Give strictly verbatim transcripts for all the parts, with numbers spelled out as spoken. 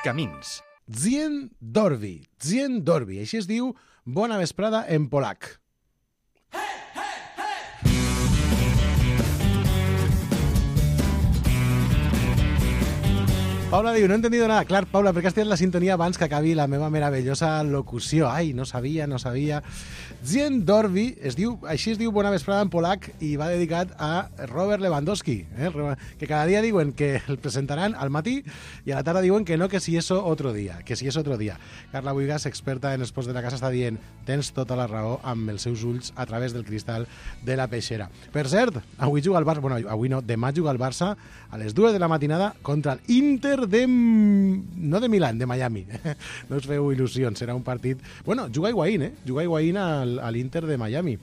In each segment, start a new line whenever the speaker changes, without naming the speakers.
Camins.
Dzień dobry, dzień dobry. Així es diu bona vesprada en polac. Paula diu, no he entendido nada. Clar, Paula, perquè has tirat la sintonia abans que acabi la meva meravellosa locució. Ai, no sabia, no sabia. Dzień dobry, es diu, així es diu bona vesprada en polac i va dedicat a Robert Lewandowski, eh? Que cada dia diuen que el presentaran al matí i a la tarda diuen que no, que si eso otro día, que si eso otro día. Carla Buigas, experta en esports de la casa, està dient tens tota la raó amb els seus ulls a través del cristal de la peixera. Per cert, avui juga el Barça, bueno, avui no, demà juga el Barça a les dues de la matinada contra el Inter de... no de Milán, de Miami. No us feu il·lusions, serà un partit... Bueno, juga Higuaín, eh? Juga Higuaín al, a l'Inter de Miami.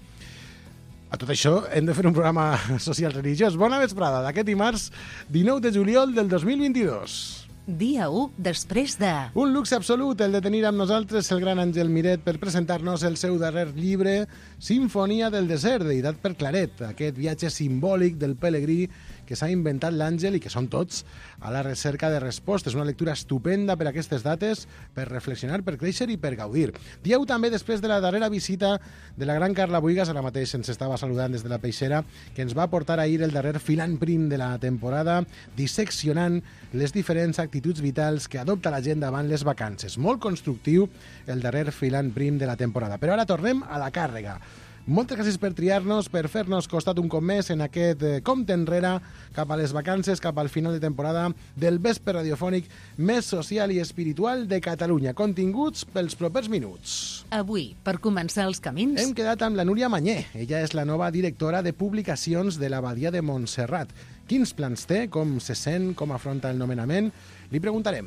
A tot això hem de fer un programa social religiós. Bona vesprada d'aquest dimarts dinou de juliol del dos mil vint-i-dos.
Dia u després de...
Un luxe absolut el de tenir amb nosaltres el gran Àngel Miret per presentar-nos el seu darrer llibre Sinfonia del desert, editat per Claret, aquest viatge simbòlic del pelegrí que s'ha inventat l'Àngel i que són tots a la recerca de respostes. Una lectura estupenda per aquestes dates, per reflexionar, per créixer i per gaudir. Dia u també després de la darrera visita de la gran Carla Buigas, ara mateix ens estava saludant des de la peixera, que ens va portar ahir el darrer filant prim de la temporada, disseccionant les diferents actituds vitals que adopta la gent davant les vacances. Molt constructiu el darrer filant prim de la temporada. Però ara tornem a la càrrega. Moltes gràcies per triar-nos, per fer-nos costat un cop més en aquest eh, compte enrere cap a les vacances, cap al final de temporada del vespre radiofònic més social i espiritual de Catalunya. Continguts pels propers minuts.
Avui, per començar els camins...
Hem quedat amb la Núria Mañé. Ella és la nova directora de publicacions de l'Abadia de Montserrat. Quins plans té? Com se sent? Com afronta el nomenament? Li preguntarem.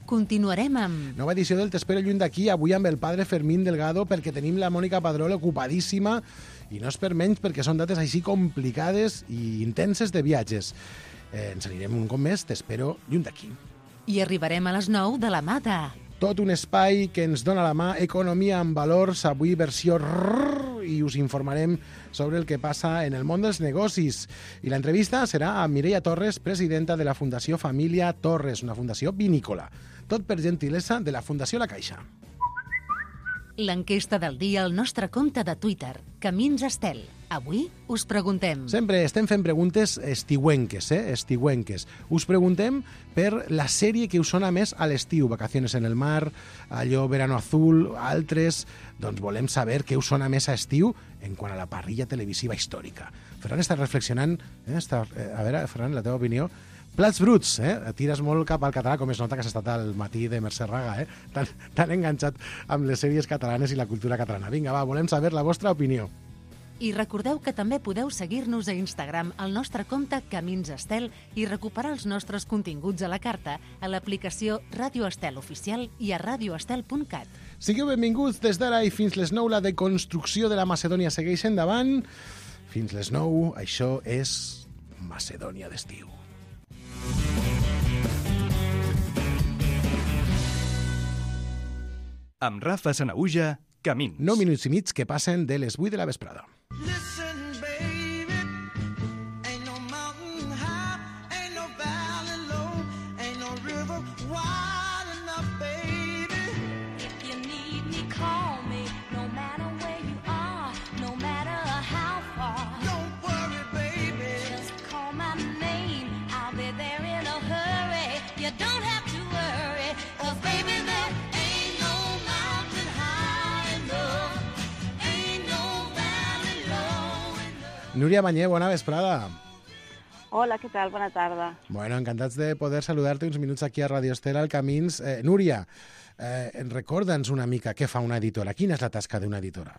Continuarem amb...
Nova edició del T'espero lluny d'aquí, avui amb el padre Fermín Delgado, perquè tenim la Mònica Padrol ocupadíssima, i no és per menys perquè són dates així complicades i intenses de viatges. Eh, ens anirem un cop més, T'espero lluny d'aquí.
I arribarem a les nou de la mà de...
Tot un espai que ens dona la mà, Economia amb valors, avui versió rrrr, i us informarem sobre el que passa en el món dels negocis. I l'entrevista serà a Mireia Torres, presidenta de la Fundació Família Torres, una fundació vinícola. Tot per gentilesa de la Fundació La Caixa.
L'enquesta del dia al nostre compte de Twitter, Camins Estel. Avui us preguntem...
Sempre estem fent preguntes estiuenques, eh? Estiuenques. Us preguntem per la sèrie que us sona més a l'estiu, Vacaciones en el mar, allò Verano Azul, altres... Doncs volem saber què us sona més a estiu en quant a la parrilla televisiva històrica. Ferran està reflexionant... Eh? Està, eh, a veure, Ferran, la teva opinió... Plats bruts, eh? Tires molt cap al català, com es nota que has estat al matí de Mercè Raga, eh? Tan, tan enganxat amb les sèries catalanes i la cultura catalana. Vinga, va, volem saber la vostra opinió.
I recordeu que també podeu seguir-nos a Instagram al nostre compte Camins Estel i recuperar els nostres continguts a la carta a l'aplicació Ràdio Estel Oficial i a radioestel punt cat.
Sigueu benvinguts des d'ara i fins les nou. La deconstrucció de la Macedònia segueix endavant. Fins les nou, això és Macedònia d'estiu.
Amb Rafa Sanaüja, Camins.
nou minuts i mig que passen de les vuit de la vesprada. Núria Mañé, bona vesprada.
Hola, què tal? Bona tarda.
Bueno, encantats de poder saludar-te uns minuts aquí a Radio Estel al Camins. Eh, Núria, eh, recorda'ns una mica què fa una editora. Quina és la tasca d'una editora?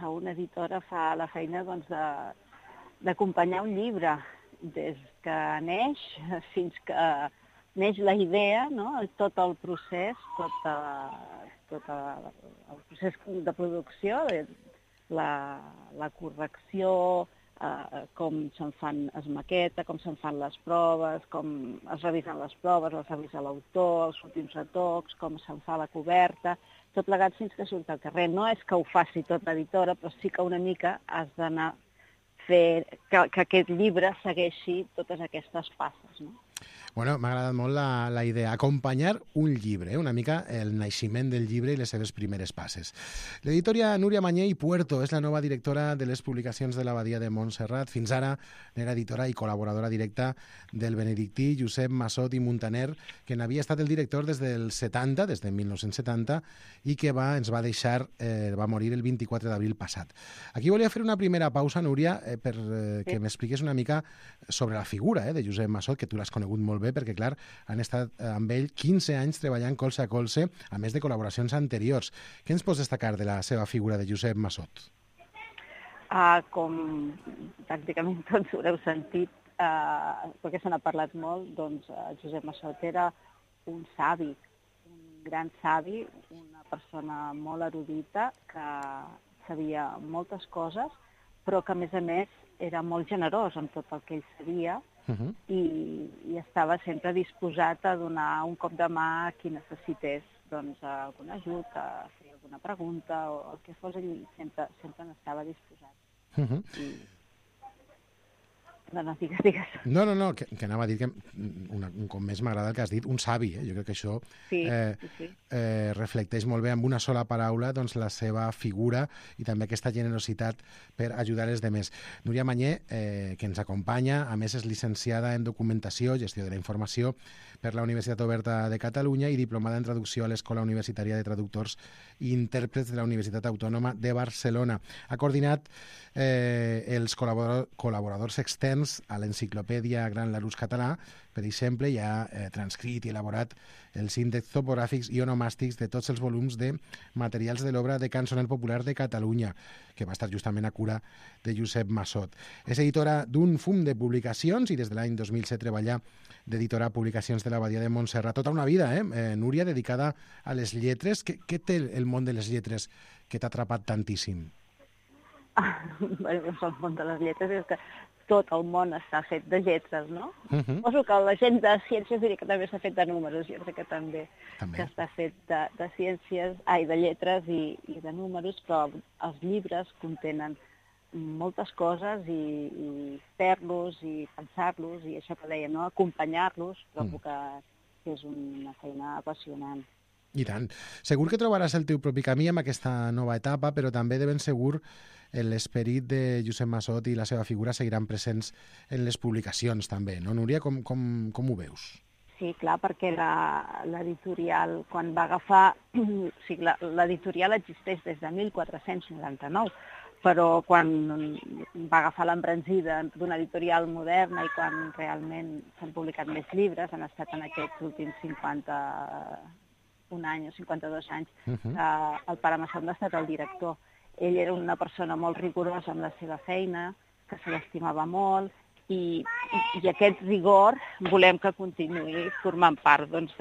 Una editora fa la feina doncs, d'acompanyar un llibre des que neix fins que neix la idea, no? Tot el procés, tot, a, tot a, el procés de producció, la, la correcció, eh, com se'n fan es maqueta, com se'n fan les proves, com es revisen les proves, les revisa l'autor, els últims retocs, com se'n fa la coberta, tot plegat fins que surt al carrer. No és que ho faci tot l'editora, però sí que una mica has d'anar fer que, que aquest llibre segueixi totes aquestes passes, no?
Bueno, m'ha agradat molt la, la idea. Acompanyar un llibre, eh? Una mica el naixement del llibre i les seves primeres passes. L'editora Núria Mañé i Puerto és la nova directora de les publicacions de l'Abadia de Montserrat. Fins ara era editora i col·laboradora directa del benedictí Josep Massot i Muntaner, que n'havia estat el director des del setanta, des de mil nou-cents setanta, i que va, ens va deixar, eh, va morir el vint-i-quatre d'abril passat. Aquí volia fer una primera pausa, Núria, eh, per eh, que m'expliqués una mica sobre la figura eh, de Josep Massot, que tu l'has conegut molt bé, perquè, clar, han estat amb ell quinze anys treballant colze a colze, a més de col·laboracions anteriors. Què ens pots destacar de la seva figura de Josep Massot?
Uh, com pràcticament tots haureu sentit, uh, perquè se n'ha parlat molt, doncs uh, Josep Massot era un savi, un gran savi, una persona molt erudita, que sabia moltes coses, però que, a més a més, era molt generós amb tot el que ell sabia, Uh-huh. I, i estava sempre disposat a donar un cop de mà a qui necessités doncs, algun ajut, a fer alguna pregunta o el que fos, ell sempre, sempre n'estava disposat. Uh-huh. I... No, no, digues, digues.
No, no, no, que, que anava a dir que una, un cop més m'agrada el que has dit, un savi, eh? Jo crec que això
sí,
eh,
sí, sí.
Eh, reflecteix molt bé amb una sola paraula doncs, la seva figura i també aquesta generositat per ajudar els demés. Núria Mañé, eh, que ens acompanya, a més és llicenciada en Documentació, Gestió de la Informació per la Universitat Oberta de Catalunya i diplomada en Traducció a l'Escola Universitària de Traductors i Intèrprets de la Universitat Autònoma de Barcelona. Ha coordinat eh, els col·laborador, col·laboradors externs a l'enciclopèdia Gran Larousse Català, per exemple, i ha eh, transcrit i elaborat els índexs topogràfics i onomàstics de tots els volums de materials de l'obra de cançoner popular de Catalunya, que va estar justament a cura de Josep Massot. És editora d'un fum de publicacions i des de l'any dos mil set treballa d'editora Publicacions de l'Abadia de Montserrat. Tota una vida, eh? eh Núria, dedicada a les lletres. Què, què té el món de les lletres que t'ha atrapat tantíssim?
Ah, bueno, el món de les lletres és que tot el món està fet de lletres, no? Uh -huh. Poso que la gent de ciències diria que també s'ha fet de números, jo crec que també, també. que està fet de, de ciències, ai, de lletres i, i de números, però els llibres contenen moltes coses i, i fer-los i pensar-los i això que dèiem, no? Acompanyar-los, trobo mm. que és una feina apassionant.
I tant. Segur que trobaràs el teu propi camí amb aquesta nova etapa, però també de ben segur l'esperit de Josep Massot i la seva figura seguiran presents en les publicacions també, no, Núria? Com, com, com ho veus?
Sí, clar, perquè l'editorial, quan va agafar... o sigui, l'editorial existeix des de mil quatre-cents noranta-nou, però quan va agafar l'embranzida d'una editorial moderna i quan realment s'han publicat més llibres, han estat en aquests últims cinquanta un any o cinquanta-dos anys, uh-huh. eh, el pare Massot n'ha estat el director. Ell era una persona molt rigorosa amb la seva feina, que se l'estimava molt, i, i, i aquest rigor volem que continuï formant part doncs,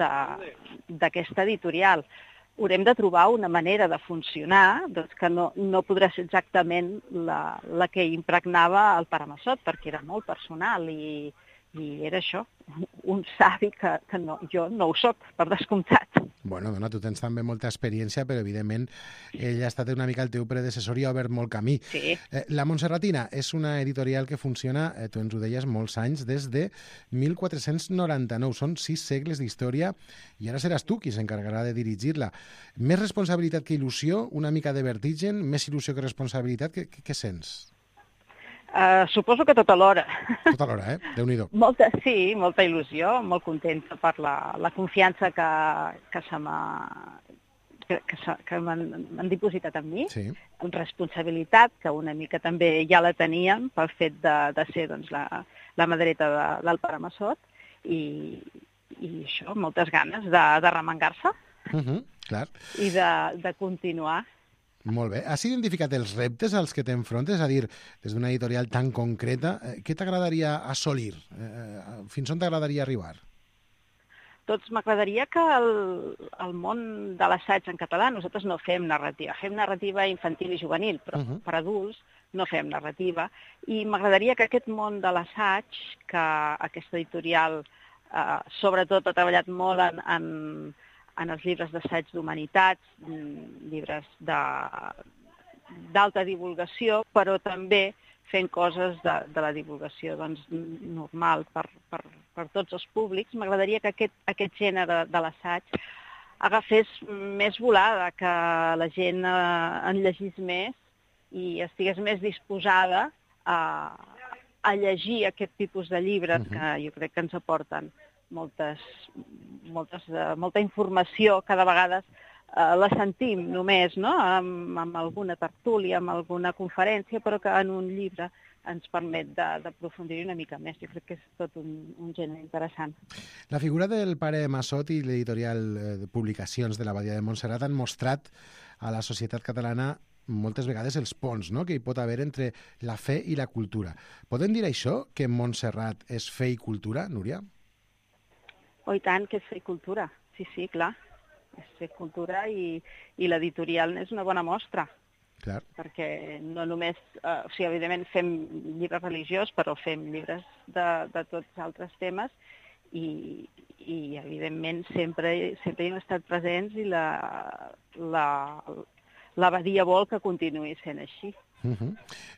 d'aquesta editorial. Haurem de trobar una manera de funcionar doncs, que no, no podrà ser exactament la, la que impregnava el pare Massot, perquè era molt personal i, i era això, un savi que, que no, jo no ho soc, per descomptat.
Bueno, dona, tu tens també molta experiència, però evidentment ell ha estat una mica el teu predecessor i ha obert molt camí.
Sí.
Eh, la Montserratina és una editorial que funciona, eh, tu ens ho deies, molts anys, des de mil quatre-cents noranta-nou. Són sis segles d'història i ara seràs tu qui s'encarregarà de dirigir-la. Més responsabilitat que il·lusió, una mica de vertigen, més il·lusió que responsabilitat, què, què, què sents?
Uh, suposo que tota l'hora.
Tota l'hora, eh? Déu-n'hi-do.
Molta, sí, molta il·lusió, molt contenta per la, la confiança que, que se m'ha que, que, que m'han dipositat en mi,
sí.
Responsabilitat, que una mica també ja la teníem pel fet de, de ser doncs, la, la mà dreta de, del pare Massot, i, i això, moltes ganes de, de remengar-se
uh-huh, clar.
I de, de continuar.
Molt bé. Has identificat els reptes als que t'enfrontes? És a dir, des d'una editorial tan concreta, eh, què t'agradaria assolir? Eh, fins on t'agradaria arribar?
Doncs m'agradaria que el, el món de l'assaig en català, nosaltres no fem narrativa, fem narrativa infantil i juvenil, però uh-huh. per adults no fem narrativa, i m'agradaria que aquest món de l'assaig, que aquesta editorial eh, sobretot ha treballat molt en, en, en els llibres d'assaig d'humanitats, llibres de, d'alta divulgació, però també fent coses de, de la divulgació doncs, normal per, per, per tots els públics. M'agradaria que aquest, aquest gènere de l'assaig agafés més volada, que la gent eh, en llegís més i estigués més disposada a, a llegir aquest tipus de llibres uh-huh. que jo crec que ens aporten moltes, moltes, uh, molta informació que de vegades uh, la sentim només, no? amb, amb alguna tertúlia, amb alguna conferència, però que en un llibre ens permet d'aprofundir una mica més. Jo crec que és tot un, un gènere interessant.
La figura del pare Massot i l'editorial de publicacions de l'Abadia de Montserrat han mostrat a la societat catalana moltes vegades els ponts, no?, que hi pot haver entre la fe i la cultura. Podem dir això, que Montserrat és fe i cultura, Núria?
Oh, i tant, que és fe i cultura. Sí, sí, clar. És fe i cultura i, i l'editorial és una bona mostra.
Clar. Perquè
no només, eh, o sigui, evidentment fem llibres religiosos, però fem llibres de, de tots altres temes i, i evidentment sempre, sempre hi hem estat presents i la, la, l'abadia vol que continuï sent així.
Uh-huh.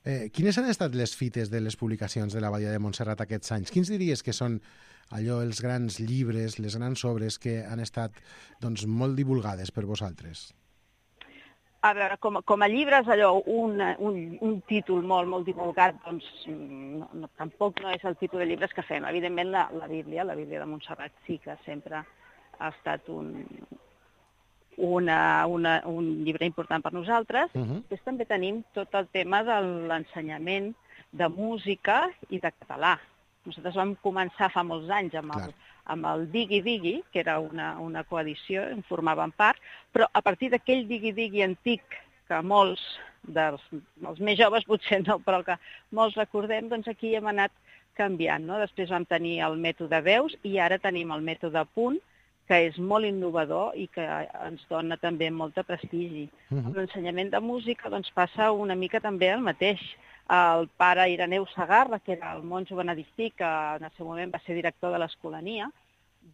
eh, quines han estat les fites de les publicacions de l'Abadia de Montserrat aquests anys? Quins diries que són allò, els grans llibres, les grans obres que han estat doncs, molt divulgades per vosaltres?
A veure, com, com a llibres, allò, un, un, un títol molt, molt divulgat, doncs no, no, tampoc no és el tipus de llibres que fem. Evidentment, la, la Bíblia, la Bíblia de Montserrat sí que sempre ha estat un, una, una, un llibre important per nosaltres. Uh-huh. Després també tenim tot el tema de l'ensenyament de música i de català. Nosaltres vam començar fa molts anys amb el, amb el Digui Digui, que era una, una coedició, en formaven part, però a partir d'aquell Digui Digui antic, que molts dels els més joves potser no, però que molts recordem, doncs aquí hem anat canviant, no? Després vam tenir el mètode veus i ara tenim el mètode punt, que és molt innovador i que ens dona també molta prestigi. Uh-huh. L'ensenyament de música doncs, passa una mica també el mateix. El pare Ireneu Segarra, que era el monjo benedictí, que en el seu moment va ser director de l'Escolania,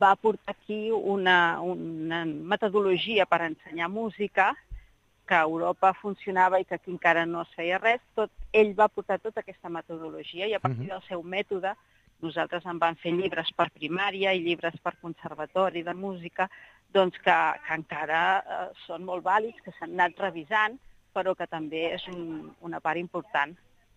va portar aquí una, una metodologia per ensenyar música que a Europa funcionava i que aquí encara no es feia res. Tot, ell va portar tota aquesta metodologia i a partir del seu mètode nosaltres en vam fer llibres per primària i llibres per conservatori de música, doncs que, que encara eh, són molt vàlids, que s'han anat revisant, però que també és un, una part important.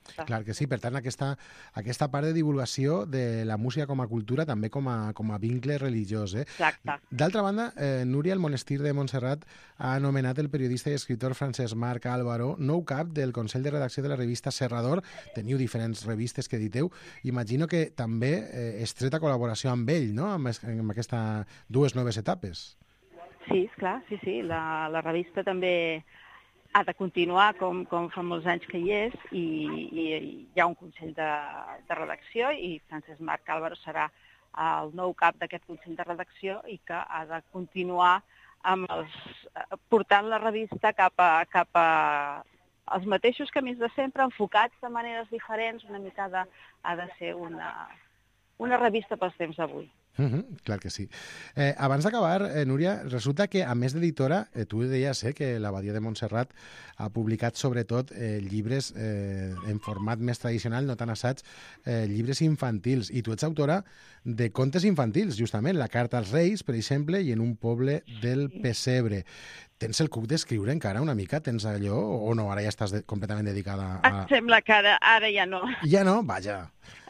Clar que sí, per tant, aquesta, aquesta part de divulgació de la música com a cultura també com a, com a vincle religiós. Eh?
Exacte.
D'altra banda, eh, Núria, el monestir de Montserrat ha anomenat el periodista i escriptor Francesc Marc Álvaro nou cap del Consell de Redacció de la revista Serrador. Teniu diferents revistes que editeu. Imagino que també eh, estreta col·laboració amb ell, no?, amb, amb aquestes dues noves etapes.
Sí, esclar, sí, sí. La, la revista també ha de continuar com, com fa molts anys que hi és i, i hi ha un Consell de, de Redacció i Francesc Marc Álvaro serà el nou cap d'aquest Consell de Redacció i que ha de continuar amb els, portant la revista cap a, cap a els mateixos camins de sempre, enfocats de maneres diferents, una mica de, ha de ser una, una revista pels temps d'avui.
Uh-huh, clar que sí. Eh, abans d'acabar, eh, Núria, resulta que, a més d'editora, eh, tu deies eh, que l'Abadia de Montserrat ha publicat sobretot eh, llibres eh, en format més tradicional, no tan assaig, eh, llibres infantils. I tu ets autora de contes infantils, justament, La carta als Reis, per exemple, i En un poble del pessebre. Tens el cuc d'escriure encara una mica? Tens allò? O no? Ara ja estàs de, completament dedicada a...
Em sembla que ara, ara ja no.
Ja no? Vaja.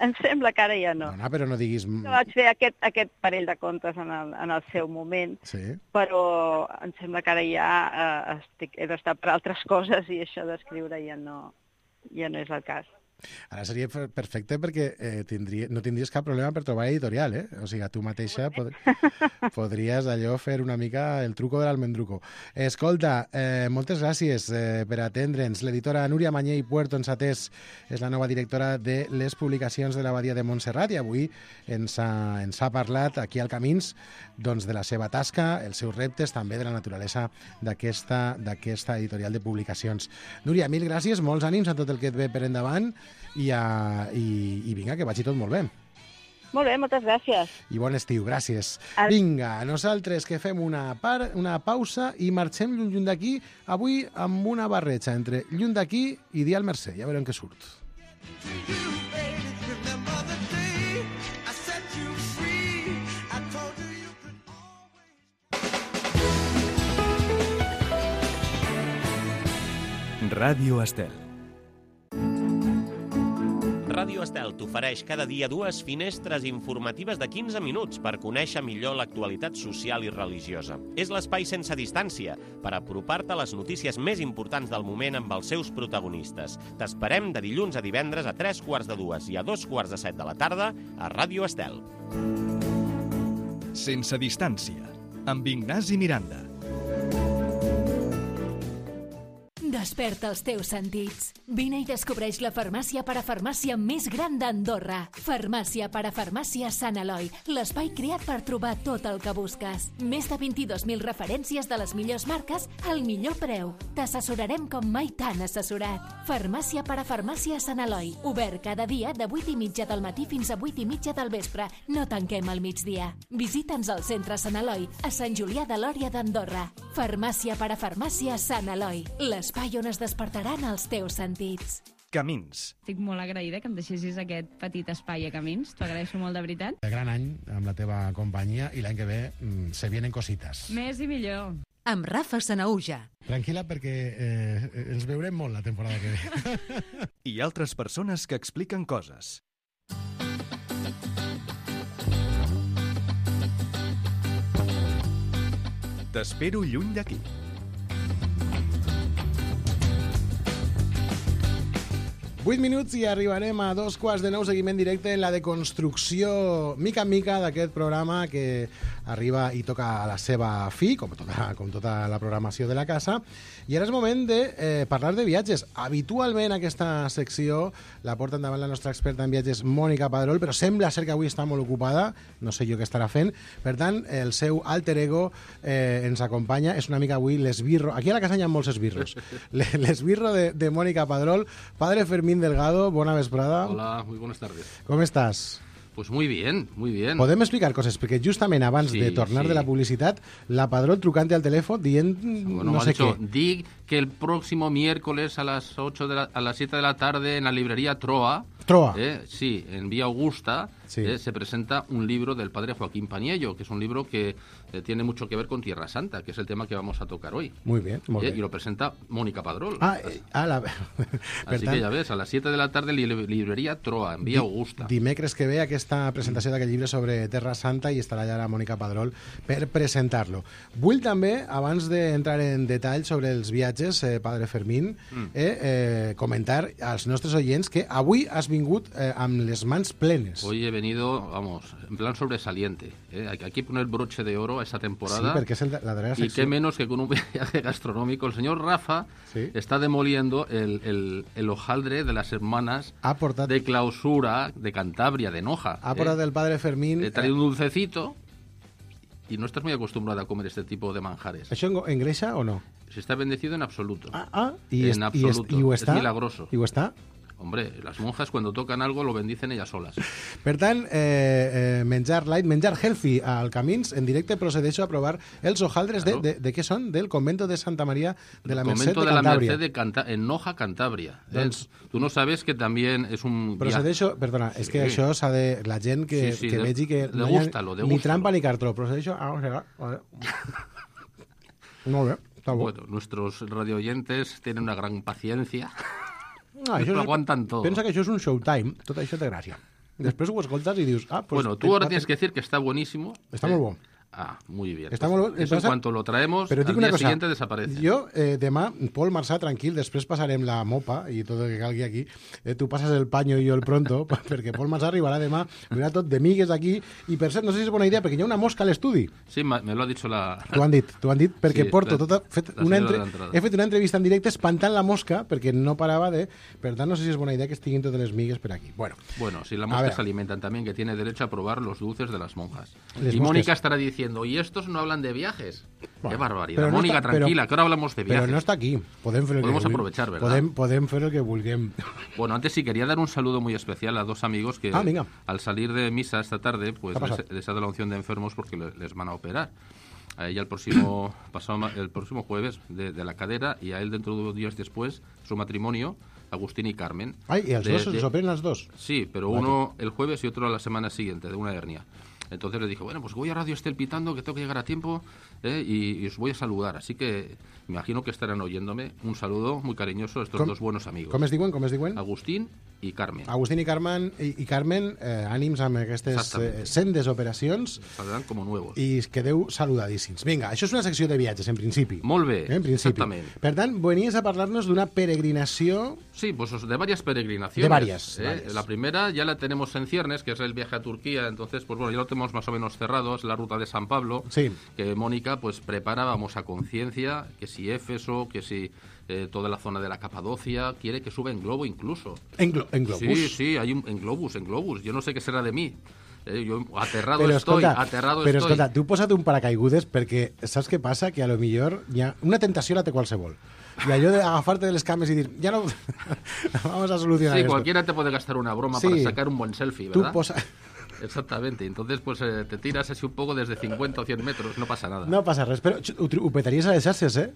Em sembla que ara ja no.
Dona, però no diguis...
Jo vaig fer aquest, aquest parell de contes en el, en el seu moment,
sí.
Però em sembla que ara ja eh, estic, he d'estar per altres coses i això d'escriure ja no, ja no és el cas.
Ara seria perfecte perquè eh, tindria, no tindries cap problema per trobar editorial, eh? O sigui, tu mateixa pod podries allò fer una mica el truco de l'almendruco. Escolta, eh, moltes gràcies eh, per atendre'ns. L'editora Núria Mañé i Puerto ens atès, és la nova directora de les publicacions de l'Abadia de Montserrat i avui ens ha, ens ha parlat aquí al Camins doncs, de la seva tasca, els seus reptes, també de la naturalesa d'aquesta d'aquesta editorial de publicacions. Núria, mil gràcies, molts ànims a tot el que et ve per endavant i, a, i, i vinga, que vagi tot molt bé.
Molt bé, moltes gràcies.
I bon estiu, gràcies. Al... Vinga, nosaltres que fem una, par, una pausa i marxem lluny, lluny d'aquí, avui amb una barreja entre lluny d'aquí i Dia al Mercè. Ja veurem què surt.
Ràdio Estel.
Ràdio Estel t'ofereix cada dia dues finestres informatives de quinze minuts per conèixer millor l'actualitat social i religiosa. És l'espai sense distància per apropar-te a les notícies més importants del moment amb els seus protagonistes. T'esperem de dilluns a divendres a tres quarts de dues i a dos quarts de set de la tarda a Ràdio Estel.
Sense distància, amb Ignasi Miranda.
Desperta els teus sentits. Vine i descobreix la farmàcia parafarmàcia més gran d'Andorra. Farmàcia parafarmàcia Sant Eloi, l'espai creat per trobar tot el que busques. Més de vint-i-dos mil referències de les millors marques al millor preu. T'assessorarem com mai t'han assessorat. Farmàcia parafarmàcia Sant Eloi, obert cada dia de vuit i mitja del matí fins a vuit i mitja del vespre. No tanquem al migdia. Visita'ns al centre Sant Eloi, a Sant Julià de Lòria d'Andorra. Farmàcia parafarmàcia Sant Eloi, l'espai on es despertaran els teus sentits.
Camins.
Estic molt agraïda que em deixessis aquest petit espai a Camins. T'ho agraeixo molt, de veritat.
Gran any amb la teva companyia i l'any que ve mm, se vienen cositas.
Més i millor.
Amb Rafa Sanaúja.
Tranquil·la perquè eh, ens veurem molt la temporada que ve.
I altres persones que expliquen coses. T'espero lluny d'aquí.
vuit minuts i arribarem a dos quarts de nou, seguiment directe en la deconstrucció mica en mica d'aquest programa que arriba i toca a la seva fi, com tota, com tota la programació de la casa. I ara és moment de eh, parlar de viatges. Habitualment aquesta secció la porta endavant la nostra experta en viatges, Mònica Padrol, però sembla ser que avui està molt ocupada, no sé jo què estarà fent. Per tant, el seu alter ego eh, ens acompanya, és una mica avui l'esbirro. Aquí a la casa hi ha molts esbirros. L'esbirro de, de Mònica Padrol. Padre Fermín Delgado, buena vesprada.
Hola, muy buenas tardes.
¿Cómo estás?
Pues muy bien, muy bien.
Podem explicar coses, perquè justament abans
Sí,
de tornar
sí.
de la publicitat, la Padrol trucante al teléfono dient
Bueno,
no
me ha
sé
dicho,
qué.
di que el próximo miércoles a las ocho de la, a las siete de la tarde en la librería Troa,
Troa.
eh, sí, en Vía Augusta,
Sí.
eh, se presenta un libro del padre Joaquín Paniello, que es un libro que eh, tiene mucho que ver con Tierra Santa, que es el tema que vamos a tocar hoy.
Muy bien, molt
Eh,
bé.
y lo presenta Mónica Padrol.
Ah, eh, ah, la... per
Así
tant,
que ya ves, a las siete de la tarde li librería Troa, en Vía Augusta.
dimecres que ve aquesta presentació d'aquest llibre sobre Terra Santa i estarà allà la Mònica Padrol per presentar-lo. Vull també, abans d'entrar en detall sobre els viatges, eh, Padre Fermín,
Mm.
eh, eh, comentar als nostres oients que avui has vingut eh, amb les mans plenes.
Hoy he venido, vamos, en plan sobresaliente. ¿eh? Hay hay que poner broche de oro a esta temporada.
Sí, perquè és el, la darrera
Y qué
secció.
menos que con un viaje gastronómico. El señor Rafa
Sí.
está demoliendo el, el, el hojaldre de las hermanas
Ha portat,
de clausura de Cantabria, de Noja.
ha
¿eh?
portat el Padre Fermín...
He traído un dulcecito y no estás muy acostumbrado a comer este tipo de manjares.
Això en- engreixa o no?
Se está bendecido en absoluto.
Ah, ah, i,
En
est, i, est,
absoluto.
i ho
Es
està?
milagroso.
I ho està?
Hombre, las monjas cuando tocan algo lo bendicen ellas solas.
Per tant, eh, eh, menjar light, menjar healthy al Camins, en directe procedeixo a provar els hojaldres
Claro.
de, de, de què són? Del convento de Santa María de la Merced
Convento
de
de la
Cantabria.
Merced de Canta en Noja, Cantabria. ¿eh?
Doncs-
Tú no sabes que también es un viaje.
Procedeixo, perdona, és que
Sí.
això s'ha de... La gent que,
Sí, sí,
que
de-
vegi que no hi
degústalo,
ha ni
degústalo.
trampa ni cartró. Procedeixo a... Vale. Molt bé, està bo.
Bueno, nuestros radioyentes tienen una gran paciencia.
Ah,
lo
és-
aguantan todo.
Pensa que això és un showtime, tot això té gràcia. Després ho escoltes i dius... Ah, pues,
Bueno, tú ahora tienes que decir que está buenísimo.
Està
¿eh?
molt bo.
Ah, muy bien.
Està
Pues
molt bo.
eso en
Passa-
cuanto lo traemos,
Però
al
dic
día
una cosa,
siguiente desaparece.
jo eh, demà, Pol Marçà, tranquil, després passarem la mopa i tot el que calgui aquí. Eh, tu passes el paño i jo el pronto, perquè Pol Marçà arribarà demà, vindrà tot de migues aquí, i per cert, no sé si és bona idea, perquè hi ha una mosca a l'estudi.
Sí, ma- me lo ha dicho la...
T'ho han dit, t'ho han dit, perquè
Sí,
porto
la-
tota... Fet
la
una
senyora
entre...
de l'entrada.
He fet una entrevista en directe espantant la mosca, perquè no parava de... Per tant, no sé si és bona idea que estiguin totes les migues per aquí. Bueno,
Bueno, si la
A
mosca
ver.
se alimentan también, que tiene derecho a probar los dulces de las monjas.
Les
y
mosques.
Mónica estará diciendo, ¿y estos no hablan de viajes?
Bueno,
Qué barbaridad.
pero no
Mónica,
está- pero-
tranquila, que ahora hablamos de viajes.
però no està aquí. Podem fer el
Podemos
que vulguem.
aprovechar, ¿verdad?
Podem, podem fer el que vulguem.
Bueno, antes sí quería dar un saludo muy especial a dos amigos que
Ah, venga.
al salir de misa esta tarde, pues
¿Qué ha pasado?
les, les ha dado la unción de enfermos porque le- les van a operar. A ella el próximo, pasado, ma- el próximo jueves de, de la cadera y a él dentro de dos días después, su matrimonio, Agustín y Carmen.
Ay, ¿y els
de,
dos
de...
se operen los dos?
Sí, pero
vale.
Uno el jueves y otro la semana siguiente, de una hernia. Entonces le dije, bueno, pues voy a Radio Estel pitando, que tengo que llegar a tiempo, ¿eh? y, y os voy a saludar. Así que me imagino que estarán oyéndome. Un saludo muy cariñoso a estos
com,
dos buenos amigos.
Com es diuen? Com es diuen?
Agustín i Carmen.
Agustín i Carmen, i, i Carmen eh, ànims amb aquestes eh, sendes operacions.
Saldran com nuevos.
I quedeu saludadíssims. Vinga, això és una secció de viatges, en principi.
Molt bé,
eh, en principi.
exactament.
Per tant, venies a parlar-nos d'una peregrinació...
Sí, pues de varias peregrinaciones.
De varias,
¿eh?
varias.
La primera ya la tenemos en ciernes, que es el viaje a Turquía. Entonces, pues bueno, ya lo tenemos más o menos cerrado. Es la ruta de San Pablo.
Sí.
Que Mónica, pues prepara, vamos a Conciencia, que si Éfeso, que si... Eh, toda la zona de la Capadocia, quiere que suba en globo incluso.
¿En, glo en globus?
Sí, sí, hay un, en globus, en globus. Yo no sé qué será de mí. Eh, yo aterrado
però,
estoy,
escolta,
aterrado
però,
estoy.
escolta, tu posa't un paracaigudes perquè saps què passa? Que a lo millor hi ha una tentació la té qualsevol. I allò d'agafar-te de les cames i dir, ya no, vamos a solucionar
Sí,
esto.
cualquiera te puede gastar una broma
sí,
para sacar un buen selfie,
tú
¿verdad?
posa...
Exactamente, entonces pues eh, te tiras así un poco desde cincuenta o cien metros, no pasa nada.
No passa res, però ho, ho petaries a les xarxes, eh?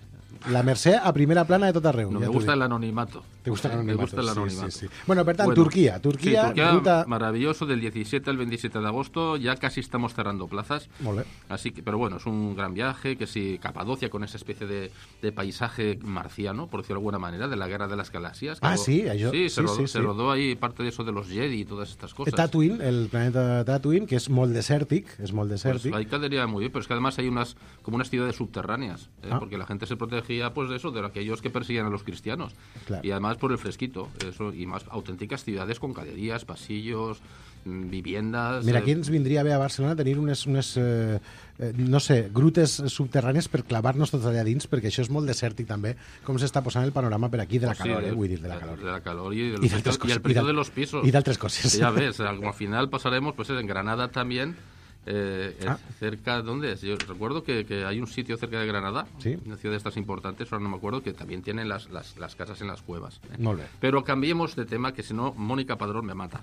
La Mercè a primera plana de tot arreu.
No,
ja
me gusta el anonimato.
Te gusta el anonimato.
Me gusta el anonimato.
Sí, sí, sí. Bueno, per tant,
bueno,
Turquía. Turquía,
sí, Turquía
ruta...
maravilloso, del diecisiete al veintisiete de agosto. Ya casi estamos cerrando plazas.
Molt bé.
Así que, pero bueno, es un gran viaje, que sí, Capadocia con esa especie de, de paisaje marciano, por decirlo de alguna manera, de la Guerra de las Galaxias.
Ah,
lo,
sí, allò...
Sí, se,
sí,
rodó,
sí,
se
sí.
rodó ahí parte de eso de los Jedi y todas estas cosas.
Tatooine, el planeta Tatooine, que és molt desèrtic, és molt desèrtic.
Pues ahí quedaría muy bien, pero es que además hay unas como unas ciudades subterráneas, ¿eh?
Ah.
Porque la gente se protegía pues de eso, de aquellos que persiguen a los cristianos.
Claro.
Y además por el fresquito, eso, y más auténticas ciudades con galerías, pasillos, mm, viviendas...
Mira,
eh,
aquí ens vindria bé a Barcelona tenir unes, unes eh, eh, no sé, grutes subterrànies per clavar-nos tots allà dins, perquè això és molt desèrtic també, com s'està posant el panorama per aquí de la
pues sí,
calor,
de,
eh, vull dir, de la calor.
De la calor y, del
Y
precio,
d'altres
y
coses,
el precio
y
de los pisos.
Y d'altres coses.
Que ya ves, al final pasaremos pues en Granada también. Eh,
Ah.
cerca, ¿dónde es? Yo recuerdo que, que hay un sitio cerca de Granada,
Sí.
una ciudad de estas importantes, ahora no me acuerdo, que también tienen las, las, las casas en las cuevas. ¿eh?
Molt bé.
Pero cambiemos de tema, que si no, Mónica Padrón me mata.